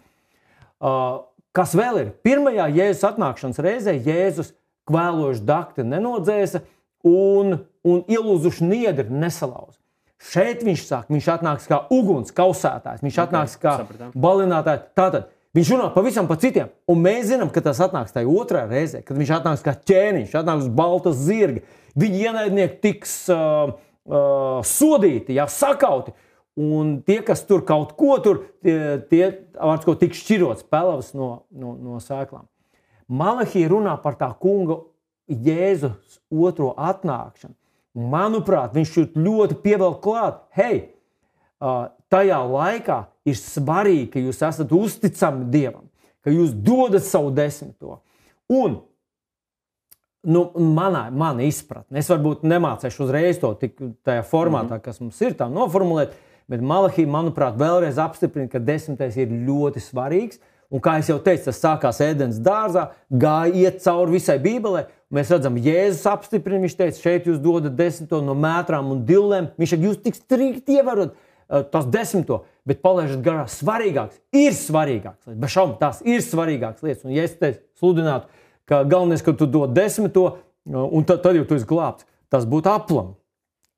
Kas vēl ir? Pirmajā Jēzus atnākšanas reizē Jēzus kvēlojuši dakti nenodzēsa un ielūzuši niedri nesalauza. Šeit viņš saka, viņš atnāks kā uguns kausētājs, viņš atnāks kā balinātājs. Tātad viņš runā pavisam pa citiem, un mēs zinām, ka tas atnāks tajā otrā reizē, kad viņš atnāks kā ķēniņš, atnāks uz baltas zirga. Viņi ienaidnieki tiks sodīti, sakauti. Un tie, kas tur kaut ko tur, tie tiks šķirots pelavas no sēklām. Malahija runā par tā kunga Jēzus otro atnākšanu. Manuprāt, viņš ļoti pievelk klāt. Hei, tajā laikā ir svarīgi, ka jūs esat uzticami Dievam, ka jūs dodat savu 10. Un mana izpratne, es varbūt nemācēšu uzreiz to tik tajā formātā, kas mums ir tā noformulēt, Bet Malahī, manuprāt, vēlreiz apstiprina, ka 10. ir ļoti svarīgs. Un kā jau teicu, tas sākās Ēdenes dārzā, iet cauri visai Bībelē. Mēs redzam, Jēzus apstiprina, viņš teica, šeit jūs dodat 10. no mētrām un dillēm. Viņš saka, jūs tik strikti ievarot tas 10. bet palaižat garā svarīgāks. Ir svarīgāks. Bez šaubām, tās ir svarīgākas lietas. Un ja es te sludinātu, ka galvenais, ka tu dod 10. un tad jau tu esi glābts, tas būtu aplam.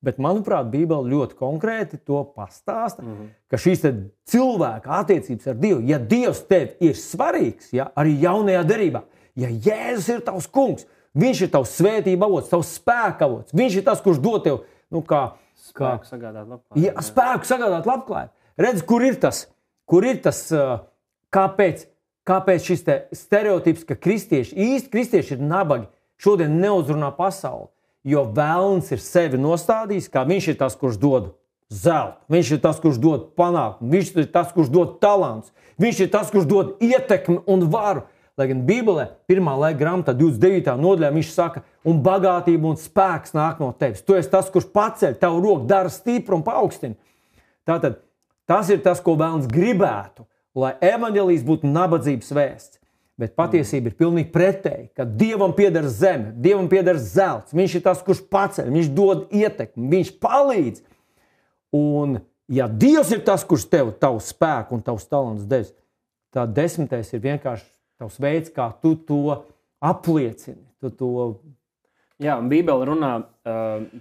Bet, manuprāt, Bībele ļoti konkrēti to pastāsta, ka šīs cilvēka attiecības ar Dievu, ja Dievs tev ir svarīgs, ja, arī jaunajā derībā, ja Jēzus ir tavs kungs, viņš ir tavs svētība avots, tavs spēka avots, viņš ir tas, kurš dod tev, spēku sagādāt labklājību. Ja, spēku sagādāt labklājību. Redz, kur ir tas, kāpēc šis stereotips, ka īsti kristieši ir nabagi, šodien neuzrunā pasauli. Jo vēlns ir sevi nostādījis, kā viņš ir tas, kurš dod zeltu, viņš ir tas, kurš dod panākumu, viņš ir tas, kurš dod talants, viņš ir tas, kurš dod ietekmi un varu. Lai gan Bībelē, 1. laika grāmatā, 29. nodaļā, viņš saka, un bagātība un spēks nāk no tevis. Tu esi tas, kurš paceļ, tavu roku dara stipru un paaugstina. Tātad tas ir tas, ko vēlns gribētu, lai evaņģēlijs būtu nabadzības vēsts. Bet patiesība ir pilnīgi pretēji, ka Dievam pieder zeme, Dievam pieder zelts. Viņš ir tas, kurš paceļ, viņš dod ietekmi, viņš palīdz. Un ja Dievs ir tas, kurš tev tavu spēku un tavus talants devis, tad 10. ir vienkārši tavs veids, kā tu to apliecini. Jā, un Bībele runā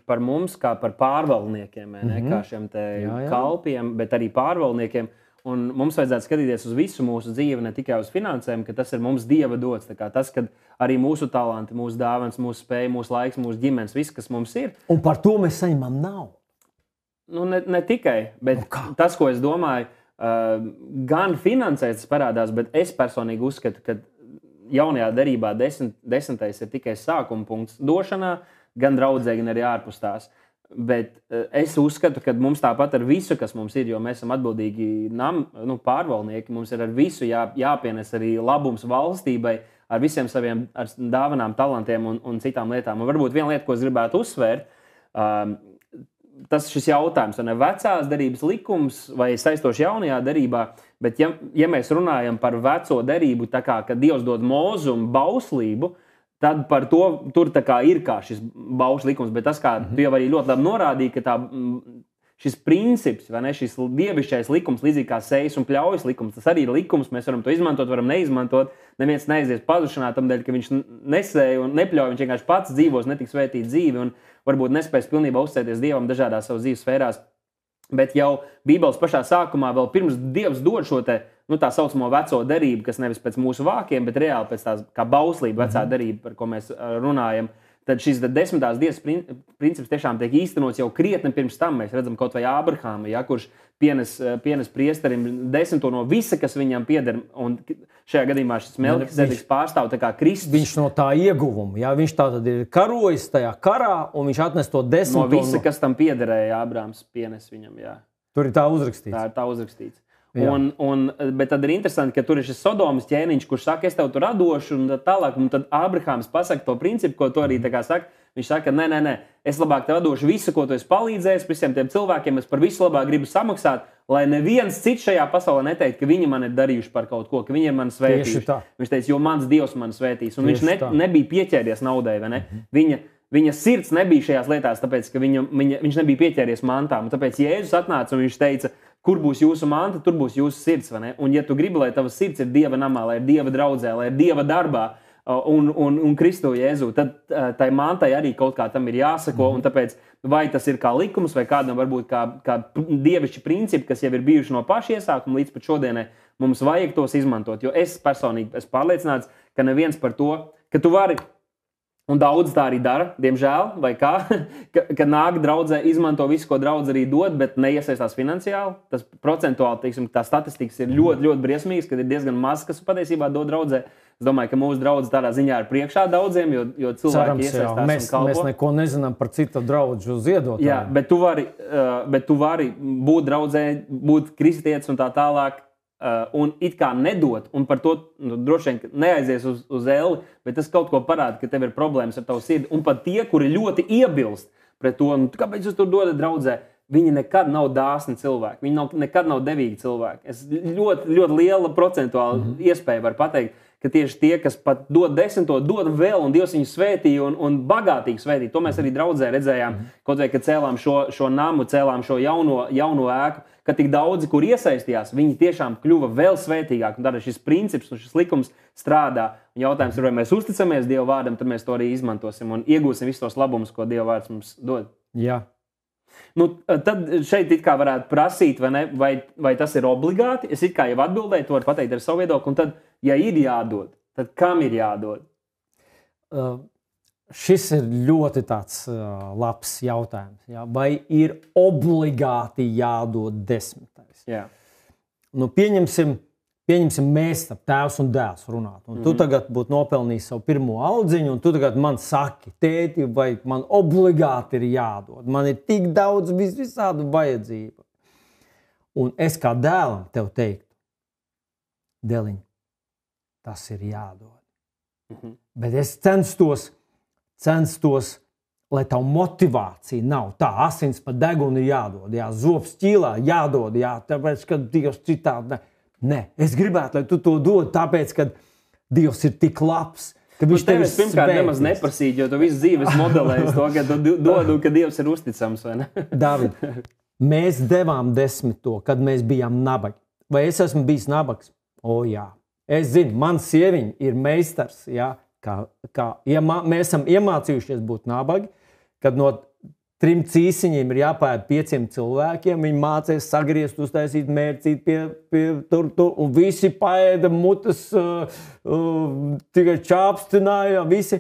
par mums kā par pārvaldniekiem, kā šiem te kalpiem, bet arī pārvaldniekiem. Un mums vajadzētu skatīties uz visu mūsu dzīvi, ne tikai uz finansēm, ka tas ir mums Dieva dots. Tas, ka arī mūsu talanti, mūsu dāvans, mūsu spēja, mūsu laiks, mūsu ģimenes, viss, kas mums ir. Un par to mēs saņemam naudu. Nu, ne tikai, bet tas, ko es domāju, gan finansēs parādās, bet es personīgi uzskatu, ka jaunajā derībā 10. ir tikai sākuma punkts došanā, gan draudzē, gan arī ārpus tās. Bet es uzskatu, ka mums tāpat ar visu, kas mums ir, jo mēs esam atbildīgi pārvaldnieki, mums ir ar visu jāpienes arī labums valstībai, ar visiem saviem dāvanām, talantiem un citām lietām. Un varbūt viena lieta, ko es gribētu uzsvērt, tas šis jautājums, vai vecās derības likums vai saistoši jaunajā derībā, bet ja mēs runājam par veco derību, tā kā, kad Dievs dod Mozu un bauslību, tad par to tur ir kā šis baušļu likums, bet tas, kā tu jau arī ļoti labi norādīji, ka šis princips, vai ne, šis dievišķais likums, līdzīgi kā sejas un pļaujas likums, tas arī ir likums, mēs varam to izmantot, varam neizmantot, neviens neaizies pazušanā tam dēļ, ka viņš nesēja un nepļauj, viņš vienkārši pats dzīvos, netiks svētīt dzīvi un varbūt nespēs pilnībā uzticēties Dievam dažādās savas dzīves sfērās. Bet jau Bībeles pašā sākumā, vēl pirms Dievs dod šo tā saucamo veco derību, kas nevis pēc mūsu vākiem, bet reāli pēc tās kā bauslība vecā derība, par ko mēs runājam, tad šis 10. dievs princips tiešām tiek īstenots jau krietni pirms tam. Mēs redzam kaut vai Ābrahāmu, kurš pienes priesterim 10. no visa, kas viņam pieder, un šajā gadījumā šis Melkizedeks pārstāv tā kā Kristus. Viņš no tā ieguvuma, viņš tātad ir karojis tajā karā, un viņš atnes to 10. No visa, kas tam piederēja, Ābrahams pienes viņam, Tur ir tā uzrakstīts. Tā ir tā uzrakstīts. Bet tad ir interesanti, ka tur ir šis Sodomas ķēniņš, kurš saka, es tev tur radošu, un tālāk, un tad Ābrahāms pasaka to principu, ko tu arī tā kā saka. Viņš saka, nē, es labāk tev došu visu, ko tu esi palīdzējis, visiem tiem cilvēkiem, es par visu labāk gribu samaksāt, lai neviens cits šajā pasaulē neteikt, ka viņi man ir darījuši par kaut ko, ka viņi ir mani svētījuši. Viņš teica, jo mans Dievs man svētīs, un viņš nebija pieķēries naudai, vai ne? Viņa sirds nebija šajās lietās, tāpēc, ka viņš nebija pieķēries mantām, un tāpēc Jēzus atnāca un viņš teica, kur būs jūsu manta, tur būs jūsu sirds, vai ne? Un ja tu gribi, lai tavas sirds ir Dieva namā, lai ir Dieva draudzē, lai ir Dieva darbā, un Kristu Jēzu, tad tai mantai arī kaut kā tam ir jāsako, un tāpēc vai tas ir kā likums, vai kādam varbūt kā dievišķi principi, kas jau ir bijuši no paša iesākuma līdz pat šodienai, mums vajag tos izmantot, jo es personīgi esmu pārliecināts, ka neviens par to, ka tu vari, un daudz tā arī dara, diemžēl, vai kā, ka nāk draudzē, izmanto visu, ko draudze arī dod, bet neiesaistās finansiāli. Tas procentuāli, teiksim, tā statistikas ir ļoti, ļoti briesmīgas, kad ir diezgan maz, kas patiesībā dod draudzē. Es domāju, ka mūsu draudze tādā ziņā ir priekšā daudziem, jo cilvēki iesaistās un kalpo. Mēs neko nezinām par citu draudžu ziedotāju. Jā, bet tu vari būt draudzē, būt kristietis un tā tālāk, un it kā nedot, un par to droši vien neaizies uz elli, bet tas kaut ko parāda, ka tev ir problēmas ar tavu sirdi. Un pat tie, kuri ļoti iebilst pret to, kāpēc jūs tur dodat draudzē, viņi nekad nav dāsni cilvēki. Viņi nekad nav devīgi cilvēki. Es ļoti, ļoti liela procentuāla iespēja var pateikt, ka tieši tie, kas pat dod 10, dod vēl, un Dievs viņus svētīja un bagātīgi svētīja. To mēs arī draudzē redzējām, kaut vai, kad cēlām šo namu, cēlām šo jauno ēku, ka tik daudzi, kur iesaistījās, viņi tiešām kļuva vēl svētīgāki. Un tad šis princips un šis likums strādā. Un jautājums ir, vai mēs uzticamies Dieva vārdam, tad mēs to arī izmantosim un iegūsim visus tos labumus, ko Dieva vārds mums dod. Jā. Nu, tad šeit it kā varētu prasīt, vai tas ir obligāti. Es it kā jau atbildēju, to var pateikt ar savu viedokli. Un tad, ja ir jādod, tad kam ir jādod? Šis ir ļoti tāds labs jautājums. Jā? Vai ir obligāti jādod 10? Jā. Nu, pieņemsim, mēs ar tēvs un dēls runāt. Un tu tagad būtu nopelnījis savu pirmo aldziņu, un tu tagad man saki, tēti, vai man obligāti ir jādod. Man ir tik daudz visādu vajadzību. Un es kā dēlam tev teiktu, dēliņ, tas ir jādod. Bet es censtos, lai tavu motivācija nav. Tā asins pa degunu ir jādod, jā, zobs ķīlā jādod, jā, tāpēc, ka Dievs citādi ne. Nē, es gribētu, lai tu to dod, tāpēc, ka Dievs ir tik labs, ka viņš tevi svētīs. Pirmkārt nemaz neprasīt, jo tu visu dzīves modelēji to, ka tu dod, ka Dievs ir uzticams, vai ne? David, mēs devām 10, kad mēs bijām nabagi. Vai es esmu bijis nabags? O, jā. Es zinu, man sieviņa ir meistars, jā, mēs esam iemācījušies būt nabagi, kad no 3 cīsiņiem ir jāpēd 5 cilvēkiem, viņi mācīs sagriezt, uztaisīt mērcīt pie tur, un visi paēda mutes, tikai čāpstināja, visi.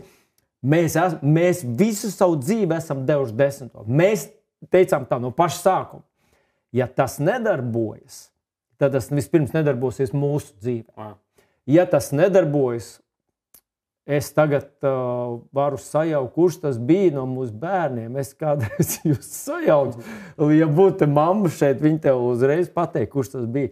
Mēs visu savu dzīvi esam devuši 10. Mēs teicām tā no paša sākuma. Ja tas nedarbojas, tad tas vispirms nedarbosies mūsu dzīvē. Ja tas nedarbojas, es tagad varu sajaukt, kurš tas bija no mūsu bērniem. Es kādreiz jūs sajaukt. Ja būtu mamma šeit, viņa tev uzreiz pateikt, kurš tas bija.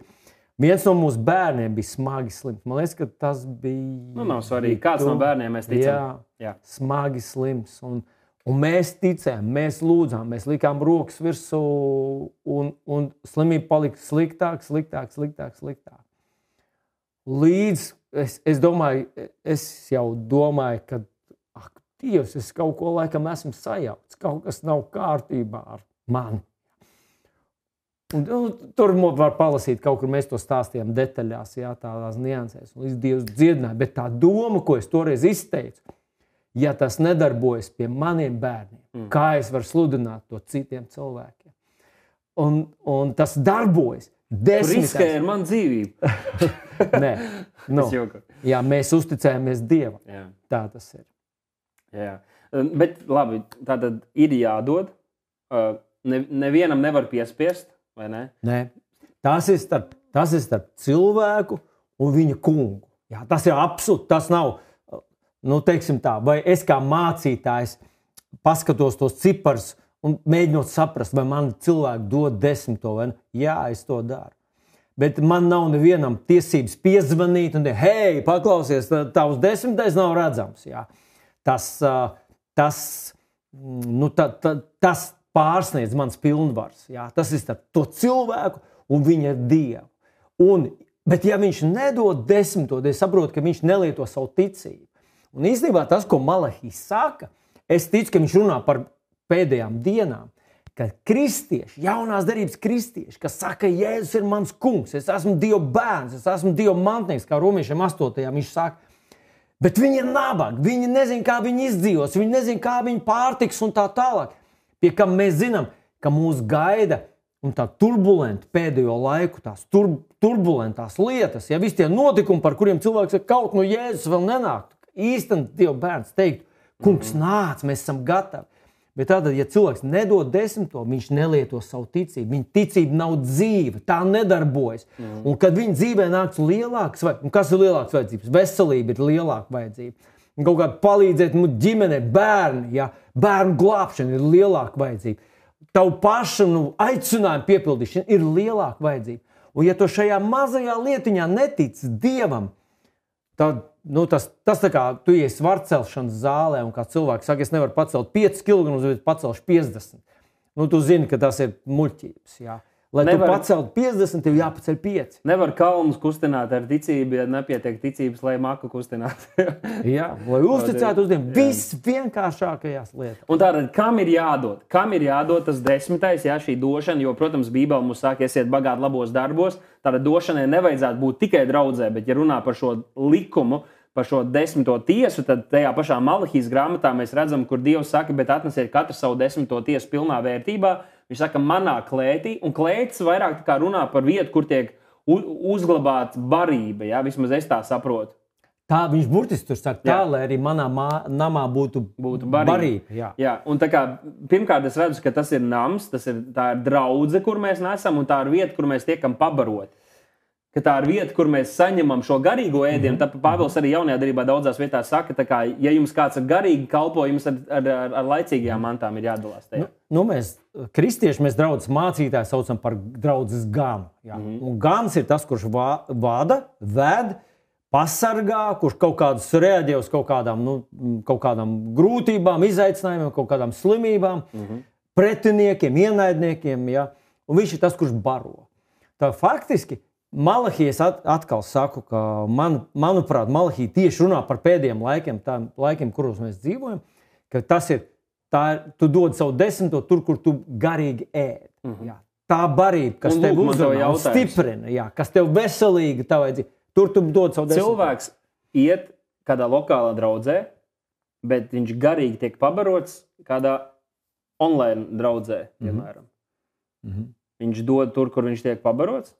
Viens no mūsu bērniem bija smagi slims. Man liekas, ka tas bija... Nu, nav svarīgi. Kāds no bērniem mēs ticam? Jā, smagi slims. Un mēs ticējām, mēs lūdzām, mēs likām rokas virsū un slimība palika sliktāk. Līdz es jau domāju, ka Dievs, es kaut ko laikam esmu sajaucis, kaut kas nav kārtībā ar mani. Un tur var palasīt, kaut kur mēs to stāstījām detaļās, jā, tādās niansēs, un līdz Dievs dziedināja. Bet tā doma, ko es toreiz izteicu, ja tas nedarbojas pie maniem bērniem, kā es varu sludināt to citiem cilvēkiem? Un tas darbojas. Riskē ar manu dzīvību. Nē, jā, mēs uzticējāmies Dievam. Jā. Tā tas ir. Jā. Bet labi, tātad ir jādod. Nevienam nevar piespiest, vai ne? Nē. Tas ir starp cilvēku un viņa kungu. Jā, tas ir absolūti, tas nav, nu teiksim tā, vai es kā mācītājs paskatos tos ciparus un mēģinot saprast, vai man cilvēki dod 10, vai ne? Jā, es to daru. Bet man nav nevienam tiesības piezvanīt un teikt, hei, paklausies, tavs 10. nav redzams. Jā. Tas pārsniedz mans pilnvars. Jā. Tas ir starp to cilvēku un viņa Dievu. Bet ja viņš nedod 10, tad es saprotu, ka viņš nelieto savu ticību. Un īstenībā tas, ko Malahijs saka, es ticu, ka viņš runā par pēdējām dienām, kad kristieši, jaunās derības kristieši, kas saka, Jēzus ir mans kungs, es esmu Dieva bērns, es esmu Dieva mantnieks, kā Romiešiem 8. viņš saka, bet viņi ir nabagi, viņi nezin, kā viņi izdzīvos, viņi nezin, kā viņi pārtiks un tā tālāk. Pie kam mēs zinām, ka mūs gaida un tā turbulenta pēdējo laiku, tās turbulentās lietas, ja visi tie notikumi, par kuriem cilvēks saka, kaut no Jēzus vēl nenāk, īstenībā Dieva bērns teikt, kungs nāc, mēs esam gatavi. Bet tātad, ja cilvēks nedod 10, viņš nelieto savu ticību. Viņa ticība nav dzīva, tā nedarbojas. Un kad viņa dzīvē nāks lielāks, kas ir lielāks vajadzības? Veselība ir lielāka vajadzība. Un kaut kādā palīdzēt ģimenei, bērni, ja? Bērnu glābšana ir lielāka vajadzība. Tavu pašu aicinājumu piepildīšana ir lielāka vajadzība. Un ja tu šajā mazajā lietiņā netici Dievam, tad tas tā kā tu ies svarcelšanas zālē un kā cilvēks saka, es nevaru pacelt 5 kg, bet pacelšu 50. tu zini, ka tas ir muļķības. Jā. Lai tu paceltu 50, tev jāpaceļ 5. Nevar kalnus kustināt ar ticību, ja nepietiek ticības, lai maku kustinātu. Jā, lai uzticētu uz tiem visvienkāršākajās lietās. Un tātad, kam ir jādod? Kam ir jādod tas 10. Jā, šī došana, jo, protams, Bībele mums saka, esiet bagāti labos darbos. Tātad došanai nevajadzētu būt tikai draudzē, bet ja runā par šo likumu, par šo 10. tiesu, tad tajā pašā Malahijas grāmatā mēs redzam, kur Dievs saka, bet atnesiet katru savu 10. tiesu pilnā vērtībā. Viņš saka, manā klētī, un klētis vairāk runā par vietu, kur tiek uzglabāta barība. Ja? Vismaz es tā saprotu. Tā viņš burtiski tur saka, tā, lai arī manā namā būtu barība. Jā. Un tā kā, pirmkārt, es redzu, ka tas ir nams, tā ir draudze, kur mēs nesam, un tā ir vieta, kur mēs tiekam pabaroti. Ka tā ir vieta, kur mēs saņemam šo garīgo ēdienu. Tāpēc Pāvils arī jaunajā darbā daudzās vietās saka, ka, ja jums kāds ir garīgi kalpo, jums ar laicīgajām mantām ir jādalās tajā. Mēs, kristieši, mēs draudzes mācītāji saucam par draudzes ganu. Un gans ir tas, kurš vada, ved, pasargā, kurš kaut kādus reaģē uz kaut kādām grūtībām, izaicinājumiem, kaut kādām slimībām, pretiniekiem, ienaidniekiem. Ja? Un viņš ir tas, kurš baro. Tā faktiski Malahijas atkal saku, ka manuprāt, Malahija tieši runā par pēdējiem laikiem, kuros mēs dzīvojam, ka tas ir, tu dod savu 10. tur, kur tu garīgi ēd. Jā. Tā barība, kas tev uzrunā, stiprina, kas tev veselīga, tā vajadzīga, tur tu dod savu 10. Cilvēks iet kādā lokālā draudzē, bet viņš garīgi tiek pabarots kādā online draudzē, piemēram. Viņš dod tur, kur viņš tiek pabarots.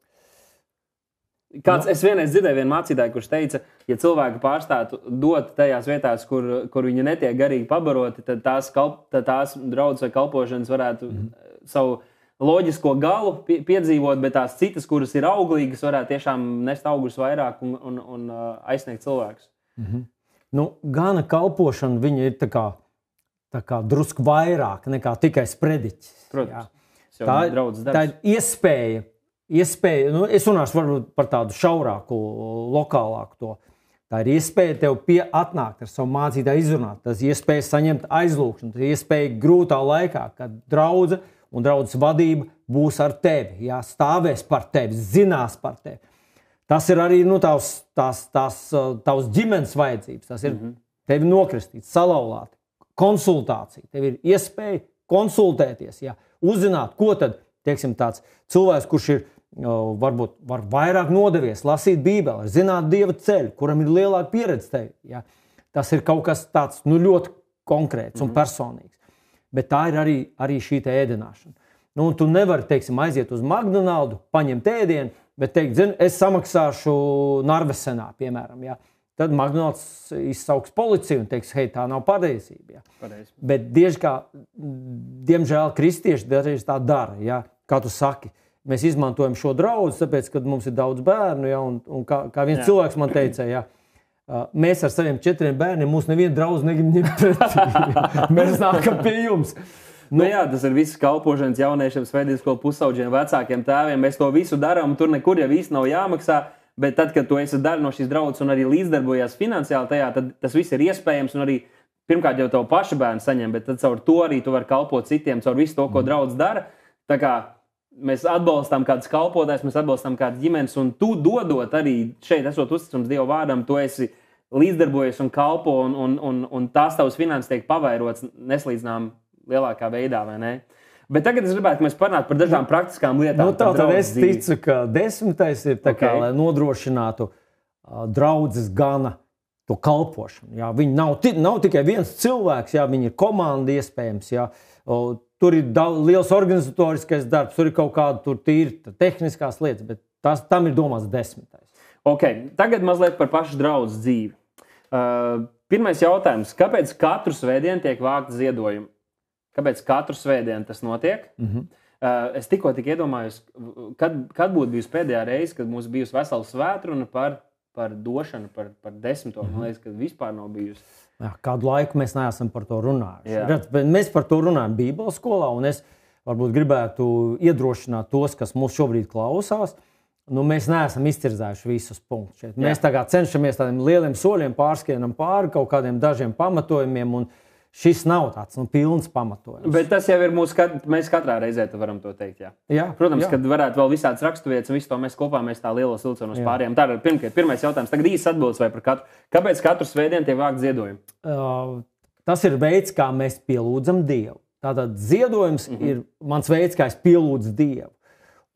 Es vienreiz dzirdēju vienu mācītāju, kurš teica, ja cilvēki pārstātu dot tajās vietās, kur viņi netiek garīgi pabaroti, tad tās draudzes vai kalpošanas varētu savu loģisko galu piedzīvot, bet tās citas, kuras ir auglīgas, varētu tiešām nest augļus vairāk un aizsniegt cilvēkus. Gana kalpošana viņa ir tā kā drusku vairāk nekā tikai sprediķis. Protams. Tā ir iespēja, es runāšu varbūt par tādu šaurāku, lokālāku to. Tā ir iespēja tev atnākt ar savu mācītāju izrunāt. Tas ir iespēja saņemt aizlūgšanu. Tas ir iespēja grūtā laikā, kad draudze un draudzes vadība būs ar tevi, stāvēs par tevi, zinās par tevi. Tas ir arī tavs ģimenes vajadzības. Tas ir tevi nokristīt, salauzāt, konsultācija. Tev ir iespēja konsultēties, uzzināt, ko tad, teiksim, tāds cilvēks, kurš ir varbūt var vairāk nodevies, lasīt Bībeli, zināt Dieva ceļu, kuram ir lielāka pieredze tevi. Ja? Tas ir kaut kas tāds ļoti konkrēts un personīgs. Bet tā ir arī šī ēdināšana. Tu nevari, teiksim, aiziet uz McDonald's, paņemt ēdienu, bet teikt, es samaksāšu Narvesenā, piemēram. Ja? Tad McDonald's izsauks policiju un teiks, hei, tā nav patiesība. Ja? Bet diemžēl kristieši dažreiz tā dara, ja? Kā tu saki. Mēs izmantojam šo draudzi, tāpēc, ka mums ir daudz bērnu, un kā viens cilvēks man teica, mēs ar saviem 4 bērniem, mūs neviena draudze negrib ņemt pretī. Mēs nākam pie jums. Tas ir viss kalpošanas jauniešiem, svētdienas skolu pusauģiem, vecākiem tēviem. Mēs to visu darām, tur nekur jau īsti nav jāmaksā, bet tad, kad tu esi daļa no šīs draudzes un arī līdzdarbojies finansiāli tajā, tad tas viss ir iespējams un arī pirmkārt jau tavu pašu bērnu saņem, bet tad caur to arī tu vari kalpot citiem, caur visu to, ko draudze dara. Tā kā mēs atbalstām kādus kalpotājus, mēs atbalstām kādas ģimenes, un tu dodot arī šeit, esot uzticams Dieva vārdam, tu esi līdzdarbojies un kalpo, un tās tavas finanses tiek pavairots neslīdzinām lielākā veidā, vai ne? Bet tagad es gribētu, ka mēs parunātu par dažām praktiskām lietām. Tad es ticu, ka 10. ir tā kā, lai nodrošinātu draudzes gana to kalpošanu. Jā. Viņi nav tikai viens cilvēks, viņi ir komanda iespējams, tur ir liels organizatoriskais darbs, tur ir kaut kāda tīra tehniskās lietas, bet tam ir domāts 10. Tagad mazliet par pašu draudzes dzīvi. Pirmais jautājums, kāpēc katru svētdienu tiek vākt ziedojumi? Kāpēc katru svētdienu tas notiek? Es tikko iedomājos, kad būtu bijusi pēdējā reize, kad mums bijusi vesela svētruna par došanu, par 10. Man liekas, ka vispār nav bijusi. Kādu laiku mēs neesam par to runājuši. Mēs par to runājam Bībeles skolā, un es varbūt gribētu iedrošināt tos, kas mūs šobrīd klausās. Mēs neesam izcirzējuši visus punktus šeit. Mēs tagad cenšamies tādiem lieliem soļiem pārskienam pāri kaut kādiem dažiem pamatojumiem, un Šis nav tāds pilns pamatojums. Bet tas jau ir mēs katrā reizē varam to teikt. Jā. Protams, kad varētu vēl visādas raksturvietas, un visu to mēs kopā tā lielos vilcienos pārējām. Tā ir pirmais jautājums. Tagad īsts atbildes vai par katru. Kāpēc katru svētdienu tiek vākt ziedojumi? Tas ir veids, kā mēs pielūdzam Dievu. Tātad ziedojums ir mans veids, kā es pielūdzu Dievu.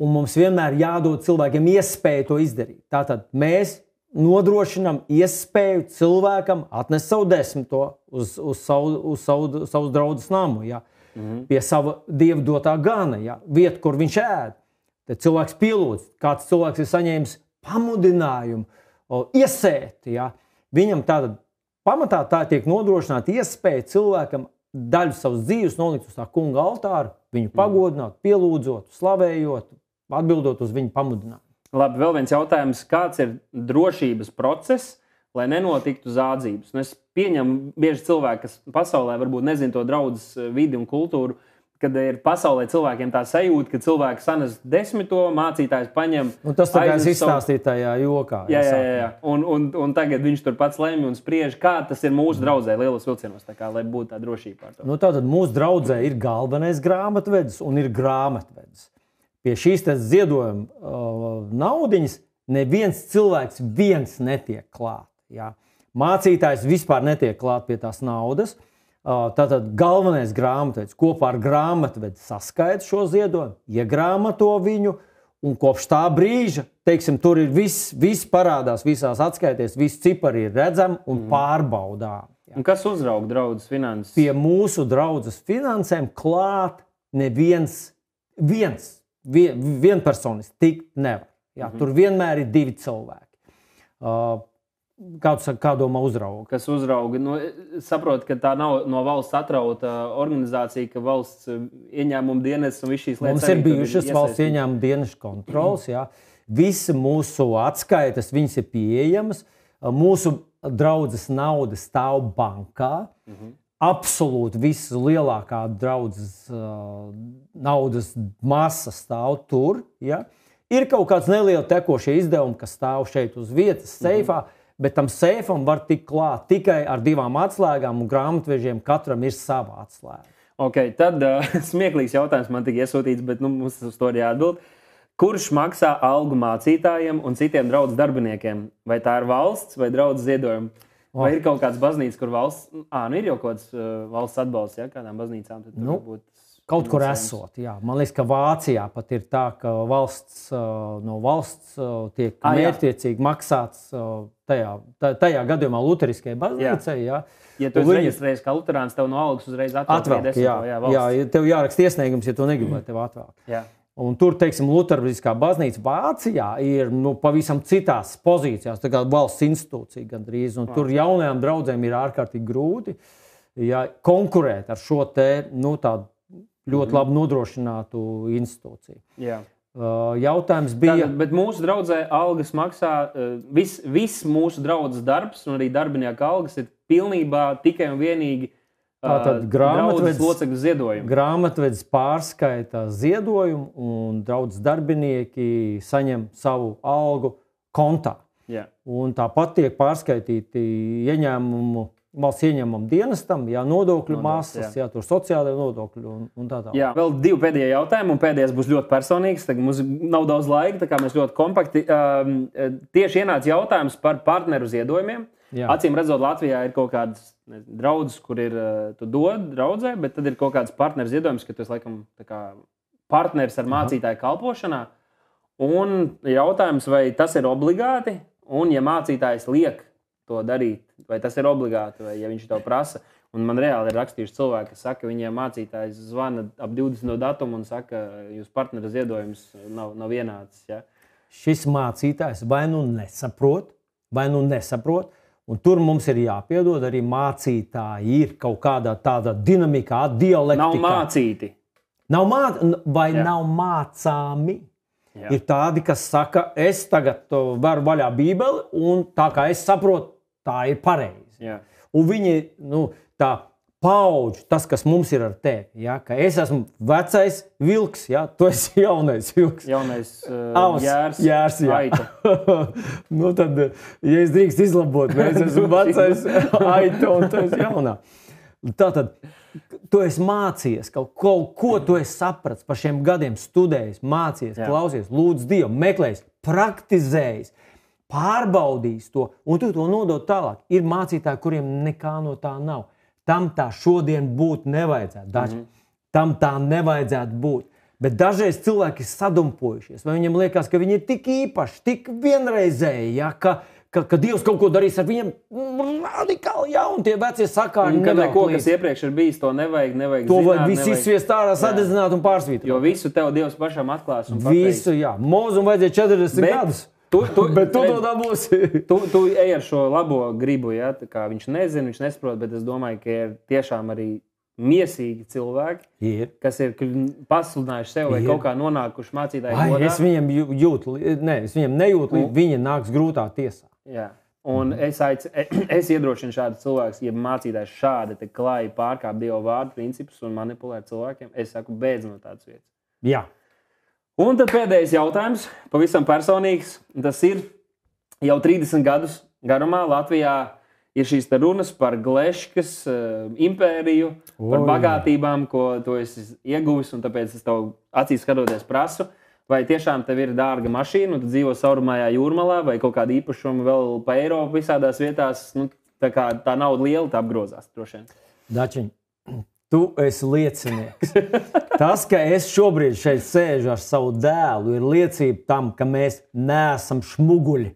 Un mums vienmēr jādod cilvēkiem iespēju to izdarīt. Tātad mēs nodrošinām iespēju cilvēkam atnest savu desmito uz savu draudzes namu, pie sava Dieva dotā gana, vietu, kur viņš ēd. Tad cilvēks pielūdz, kāds cilvēks ir saņēmis pamudinājumu, iesēt. Viņam tātad pamatā tā tiek nodrošināta iespēja cilvēkam daļu savas dzīves nolikt uz tā kunga altāra, viņu pagodināt, pielūdzot, slavējot, atbildot uz viņu pamudinājumu. Labi, vēl viens jautājums. Kāds ir drošības process, lai nenotiktu zādzības? Es pieņemu bieži cilvēki, kas pasaulē varbūt nezina to draudzes vidi un kultūru, kad ir pasaulē cilvēkiem tā sajūta, ka cilvēki sanes desmito, mācītājs paņem. Tas tā kā es izstāstīju tajā jokā. Jā. Un tagad viņš tur pats lemj un spriež, kā tas ir mūsu draudzē lielos vilcienos, tā kā, lai būtu tā drošība par to. Tātad mūsu draudzē ir galvenais grāmatvedis un ir grāmatvedis. Pie šīs ziedojuma naudiņas neviens cilvēks netiek klāt. Mācītājs vispār netiek klāt pie tās naudas. Tātad galvenais grāmatvedis kopā ar grāmatvedi saskaita šo ziedojumu, iegrāmato viņu, un kopš tā brīža, teiksim, tur ir viss parādās visās atskaitēs, visi cipari ir redzami un pārbaudām. Un kas uzrauga draudzes finanses? Pie mūsu draudzes finansēm klāt neviens vienpersonis tikt nevar. Tur vienmēr ir divi cilvēki. Kā domā uzrauga? Kas uzrauga? Saprotu, ka tā nav no valsts atrauta organizācija, ka valsts ieņēmuma dienests un viss šīs lietas. Mums ir bijušas valsts ieņēmuma dienestu kontrols. Visi mūsu atskaites, viņas ir pieejamas. Mūsu draudzes nauda stāv bankā. Absolūti visa lielākā draudzes naudas masa stāv tur. Ir kaut kāds neliels tekošie izdevumi, kas stāv šeit uz vietas seifā, bet tam seifam var tikt klāt tikai ar 2 atslēgām, un grāmatvežiem katram ir sava atslēga. Okay, tad smieklīgs jautājums man tika iesūtīts, bet mums uz to ir jāatbild. Kurš maksā algu mācītājiem un citiem draudzes darbiniekiem? Vai tā ir valsts vai draudzes ziedojumi? Vai ir kaut kāds baznīca, kur valsts... ir jau kaut kāds valsts atbalsts, kādām baznīcām? Kaut kur esot, jā. Man liekas, ka Vācijā pat ir tā, ka no valsts tiek mērķtiecīgi maksāts tajā gadījumā luteriskajai baznīcai. Jā. Ja tu esi reģistrējies kā luterāns, tev no algas uzreiz atvelk. Jā, tev jāraksta iesniegums, ja tu negribi, lai tev atvelk. Jā. Un tur, teiksim, luteriskā baznīca Vācijā ir pavisam citās pozīcijās, tā kā valsts institūcija gandrīz. Un tur jaunajām draudzēm ir ārkārtīgi grūti konkurēt ar šo tādu ļoti labi nodrošinātu institūciju. Jā. Jautājums bija... Bet mūsu draudzē algas maksā, viss mūsu draudzes darbs un arī darbinieku algas ir pilnībā tikai un vienīgi draudzes locekļu ziedojumu. Grāmatvedis pārskaita ziedojumu un draudzes darbinieki saņem savu algu kontā. Jā. Un tāpat tiek pārskaitīti valsts ieņēmuma dienestam, nodokļu masas, tur sociālajie nodokļi un tā tālāk. Jā, vēl 2 pēdējie jautājumi, un pēdējais būs ļoti personīgs. Tagad mums nav daudz laika, tā kā mēs ļoti kompakti. Tieši ienāca jautājums par partneru ziedojumiem. Jā. Acīm redzot, Latvijā ir kaut kādas draudzes, kur tu dod draudzē, bet tad ir kaut kāds partneru ziedojums, ka tu esi laikam partneris ar mācītāju kalpošanā. Un jautājums, vai tas ir obligāti, un ja mācītājs liek to darīt, vai tas ir obligāti, vai ja viņš to prasa. Un man reāli ir rakstījuši cilvēki, kas saka, viņiem mācītājs zvana ap 20. datumu un saka, jūs partnera ziedojums nav vienāds. Ja? Šis mācītājs vai nu nesaprot, un tur mums ir jāpiedod arī mācītāji ir kaut kādā tādā dinamikā, dialektikā. Nav mācīti. Nav mācāmi. Jā. Ir tādi, kas saka, es tagad varu vaļā Bībeli, un tā kā es saprotu, tā ir pareizi. Jā. Un viņi, tā paudž, tas, kas mums ir ar tevi, ka es esmu vecais vilks, tu esi jaunais vilks. Jaunais jārs, aita. Tad, ja es drīkst izlabot, es esmu vecais aita un tu esi jaunā. Tātad, tu esi mācījies kaut ko, tu esi sapratis par šiem gadiem, studējis, mācījies, klausies, lūdz Dievu, meklējis, praktizējis, pārbaudījis to, un tu to nodod tālāk. Ir mācītāji, kuriem nekā no tā nav. Tam tā šodien būt nevajadzētu. Tam tā nevajadzētu būt. Bet dažreiz cilvēki ir sadumpojušies, vai viņiem liekas, ka viņi ir tik īpaši, tik vienreizēji, ja, ka Dievs kaut ko darīs ar viņiem radikāli, ja, un tie vecie sakāri nevelk līdzi. Kas iepriekš ir bijis, to nevajag to zināt. Vajag visu izsviest ārā, sadedzināt un pārsvītrot. Jo visu tev Dievs pašam atklās un pateiks. Visu, jā. Mūzum vajadzēja 40 gadus. Bet tu to dabūsi. Tu ej ar šo labo gribu, ja? Tā kā viņš nezina, viņš nesaprot, bet es domāju, ka ir tiešām arī miesīgi cilvēki, kas ir pasludinājuši sev vai kaut kā nonākuši mācītāju godā. Es viņiem nejūtu, līdz viņi nāks grūtā tiesā. Jā. Un es iedrošinu šādus cilvēkus, ja mācītājs šādi te klāji pārkāp Dieva vārdu principus un manipulē cilvēkiem, es saku, beidz no tādas vietas. Jā. Un tad pēdējais jautājums, pavisam personīgs. Tas ir jau 30 gadus garumā Latvijā ir šīs runas par Gleškas impēriju, par bagātībām, ko tu esi ieguvis, un tāpēc es tev acīs skatoties prasu, vai tiešām tev ir dārga mašīna, un tu dzīvo Saurumājā jūrmalā, vai kaut kāda īpašuma vēl pa Eiropu visādās vietās, tā nauda liela, tā apgrozās droši vien. Dačiņ, tu esi liecinieks. Tas, ka es šobrīd šeit sēžu ar savu dēlu, ir liecība tam, ka mēs neesam šmuguļi,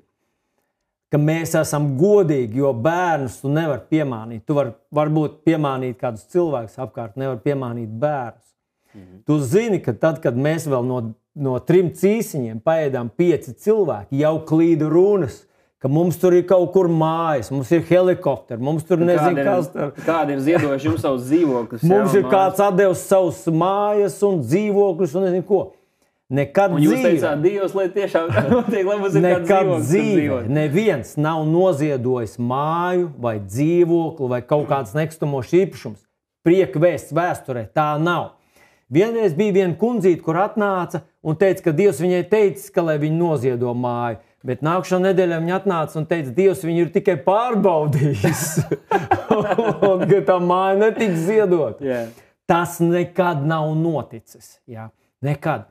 ka mēs esam godīgi, jo bērnus tu nevar piemānīt. Tu varbūt piemānīt kādus cilvēkus apkārt, nevar piemānīt bērnus. Tu zini, ka tad, kad mēs vēl no 3 cīsiņiem paēdām 5 cilvēki, jau klīda runas, ka mums tur ir kaut kur mājas, mums ir helikopteri, mums tur nezinu, kas tur. Kādi ir ziedojuši jums savus dzīvokļus? Mums ir kāds atdevis savus mājas un dzīvokļus un nezinu ko. Nekad un jūs teicāt, Dievs, lai tiešām notiek, lai mums ir kāds dzīvoklis. Neviens nav noziedojis māju vai dzīvokli vai kaut kāds nekustamos īpašums. Prieka vēsts vēsturē, tā nav. Vienreiz bija viena kundzīte, kur atnāca un teica, ka Dievs viņai teicis, ka lai viņi noziedo māju. Bet nākamā nedēļā viņa atnāca un teica, Dievs viņu ir tikai pārbaudījis. Un ka tā māja netiks ziedot. Yeah. Tas nekad nav noticis. Jā. Nekad.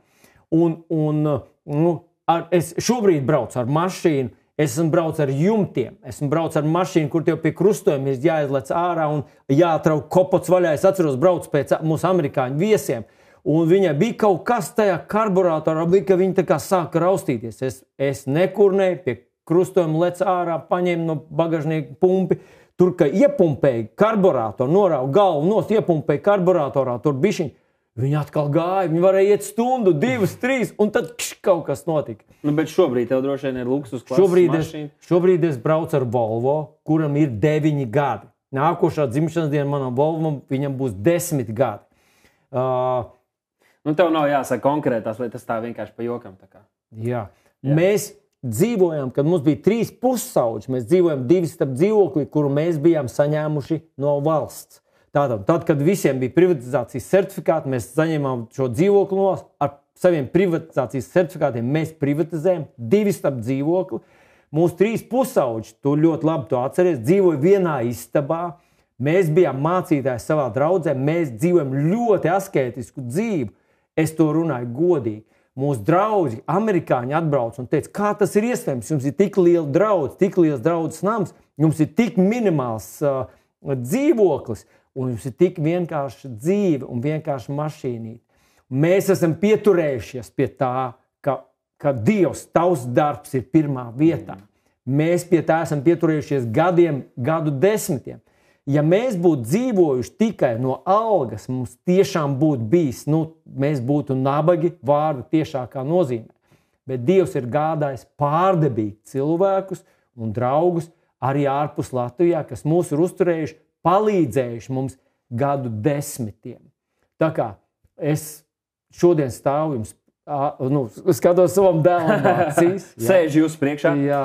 Es šobrīd braucu ar mašīnu, esmu braucu ar jumtiem, esmu braucu ar mašīnu, kur tev pie krustojuma ir jāizlec ārā un jāatrauk kopots vaļā. Es atceros, braucu pēc mūsu amerikāņu viesiem. Un viņai bija kaut kas tajā karburatorā, ka viņa tā kā sāka raustīties. Es nekurnēju, pie krustojuma lec ārā, paņēmu no bagažnieka pumpi. Tur, ka iepumpēja karburatoru, norauga galvu nost, iepumpēja karburatorā, tur bišķiņ. Viņa atkal gāja, viņa varēja iet stundu, 2, 3, un tad kaut kas notika. Bet šobrīd tev droši vien ir luksus klases mašīna. Šobrīd es braucu ar Volvo, kuram ir 9 gadi. Nākošā dzimšanas diena manam Volvam, viņam būs 10 gadi. Tev nav jāsaka konkrētās, lai tas tā vienkārši pa jokam. Jā. Mēs dzīvojam, kad mums bija 3 pussauģi, mēs dzīvojam 2 stab dzīvokli, kuru mēs bijām saņēmuši no valsts. Tātad, kad visiem bija privatizācijas certifikāti, mēs saņēmām šo dzīvokli no ar saviem privatizācijas certifikātiem. Mēs privatizējam 2 stab dzīvokli. Mūsu 3 pussauģi, tu ļoti labi to atceries, dzīvoja vienā istabā. Mēs bijām mācītāji savā draudzē, mēs dzīvojam ļoti askētisku dzīvi. Es to runāju godīgi. Mūsu draugi, amerikāņi atbrauc un teica, kā tas ir iespējams? Jums ir tik liela draudz, tik liels draudzes nams, jums ir tik minimāls dzīvoklis, un jums ir tik vienkārša dzīve un vienkārša mašīnīte. Mēs esam pieturējušies pie tā, ka Dievs, tavs darbs ir pirmā vietā. Mēs pie tā esam pieturējušies gadu desmitiem. Ja mēs būtu dzīvojuši tikai no algas, mums tiešām būtu bijis, mēs būtu nabagi vārdu tiešākā nozīmē. Bet Dievs ir gādājis pārdabīgi cilvēkus un draugus arī ārpus Latvijā, kas mūs ir uzturējuši, palīdzējuši mums gadu desmitiem. Tā kā es šodien stāvu jums, skatos savam dēlam acīs. Sēž jūs priekšā. Jā.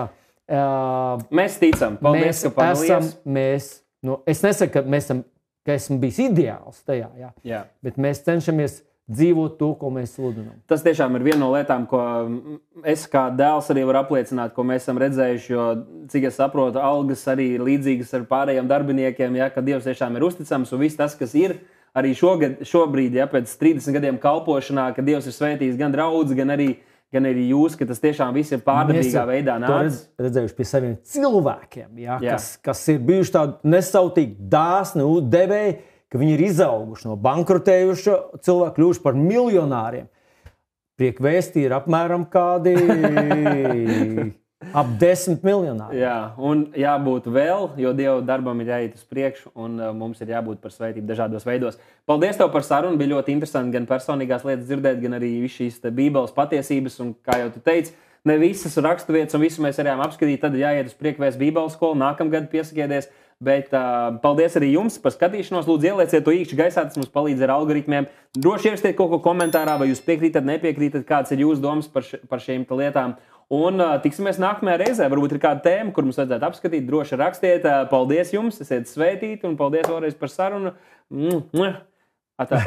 Mēs ticam. Paldies, ka padalījās. Es nesaku, ka esmu bijis ideāls tajā, jā. Bet mēs cenšamies dzīvot to, ko mēs sludinām. Tas tiešām ir viena no lietām, ko es kā dēls arī varu apliecināt, ko mēs esam redzējuši. Jo, cik es saprotu, algas arī ir līdzīgas ar pārējiem darbiniekiem, ja, ka Dievs tiešām ir uzticams. Un viss tas, kas ir arī šobrīd, ja, pēc 30 gadiem kalpošanā, ka Dievs ir svētījis gan draudzi, gan arī jūs, ka tas tiešām viss ir pārdabīgā veidā nācis. Redzējuši pie saviem cilvēkiem, ja, kas ir bijuši tādi nesautīgi, dāsni, devēji, ka viņi ir izauguši no bankrotējuša cilvēku, kļuvuši par miljonāriem. Priekvēstī ir apmēram kādi ap 10 miljonāri. Jā, un jābūt vēl, jo Dieva darbam ir jāiet uz priekšu, un mums ir jābūt par svētību dažādos veidos. Paldies tev par sarunu, bija ļoti interesanti gan personīgās lietas dzirdēt, gan arī visu šīs Bībeles patiesības, un kā jau tu teici, ne visas raksturvietas un visu mēs varējām apskatīt, tad jāiet uz Priekvēsts Bībeles skolu, nākamgad piesakieties. Bet paldies arī jums par skatīšanos. Lūdzu, ielieciet to īkšķi gaisā, tas mums palīdz ar algoritmiem. Droši ierakstiet kaut ko komentārā, vai jūs piekrītat, nepiekrītat, kāds ir jūsu domas par šīm lietām. Un tiksimies nākamajā reizē. Varbūt ir kāda tēma, kur mums vajadzētu apskatīt. Droši rakstiet. Paldies jums, esiet svētīti, un paldies vēlreiz par sarunu. Atā.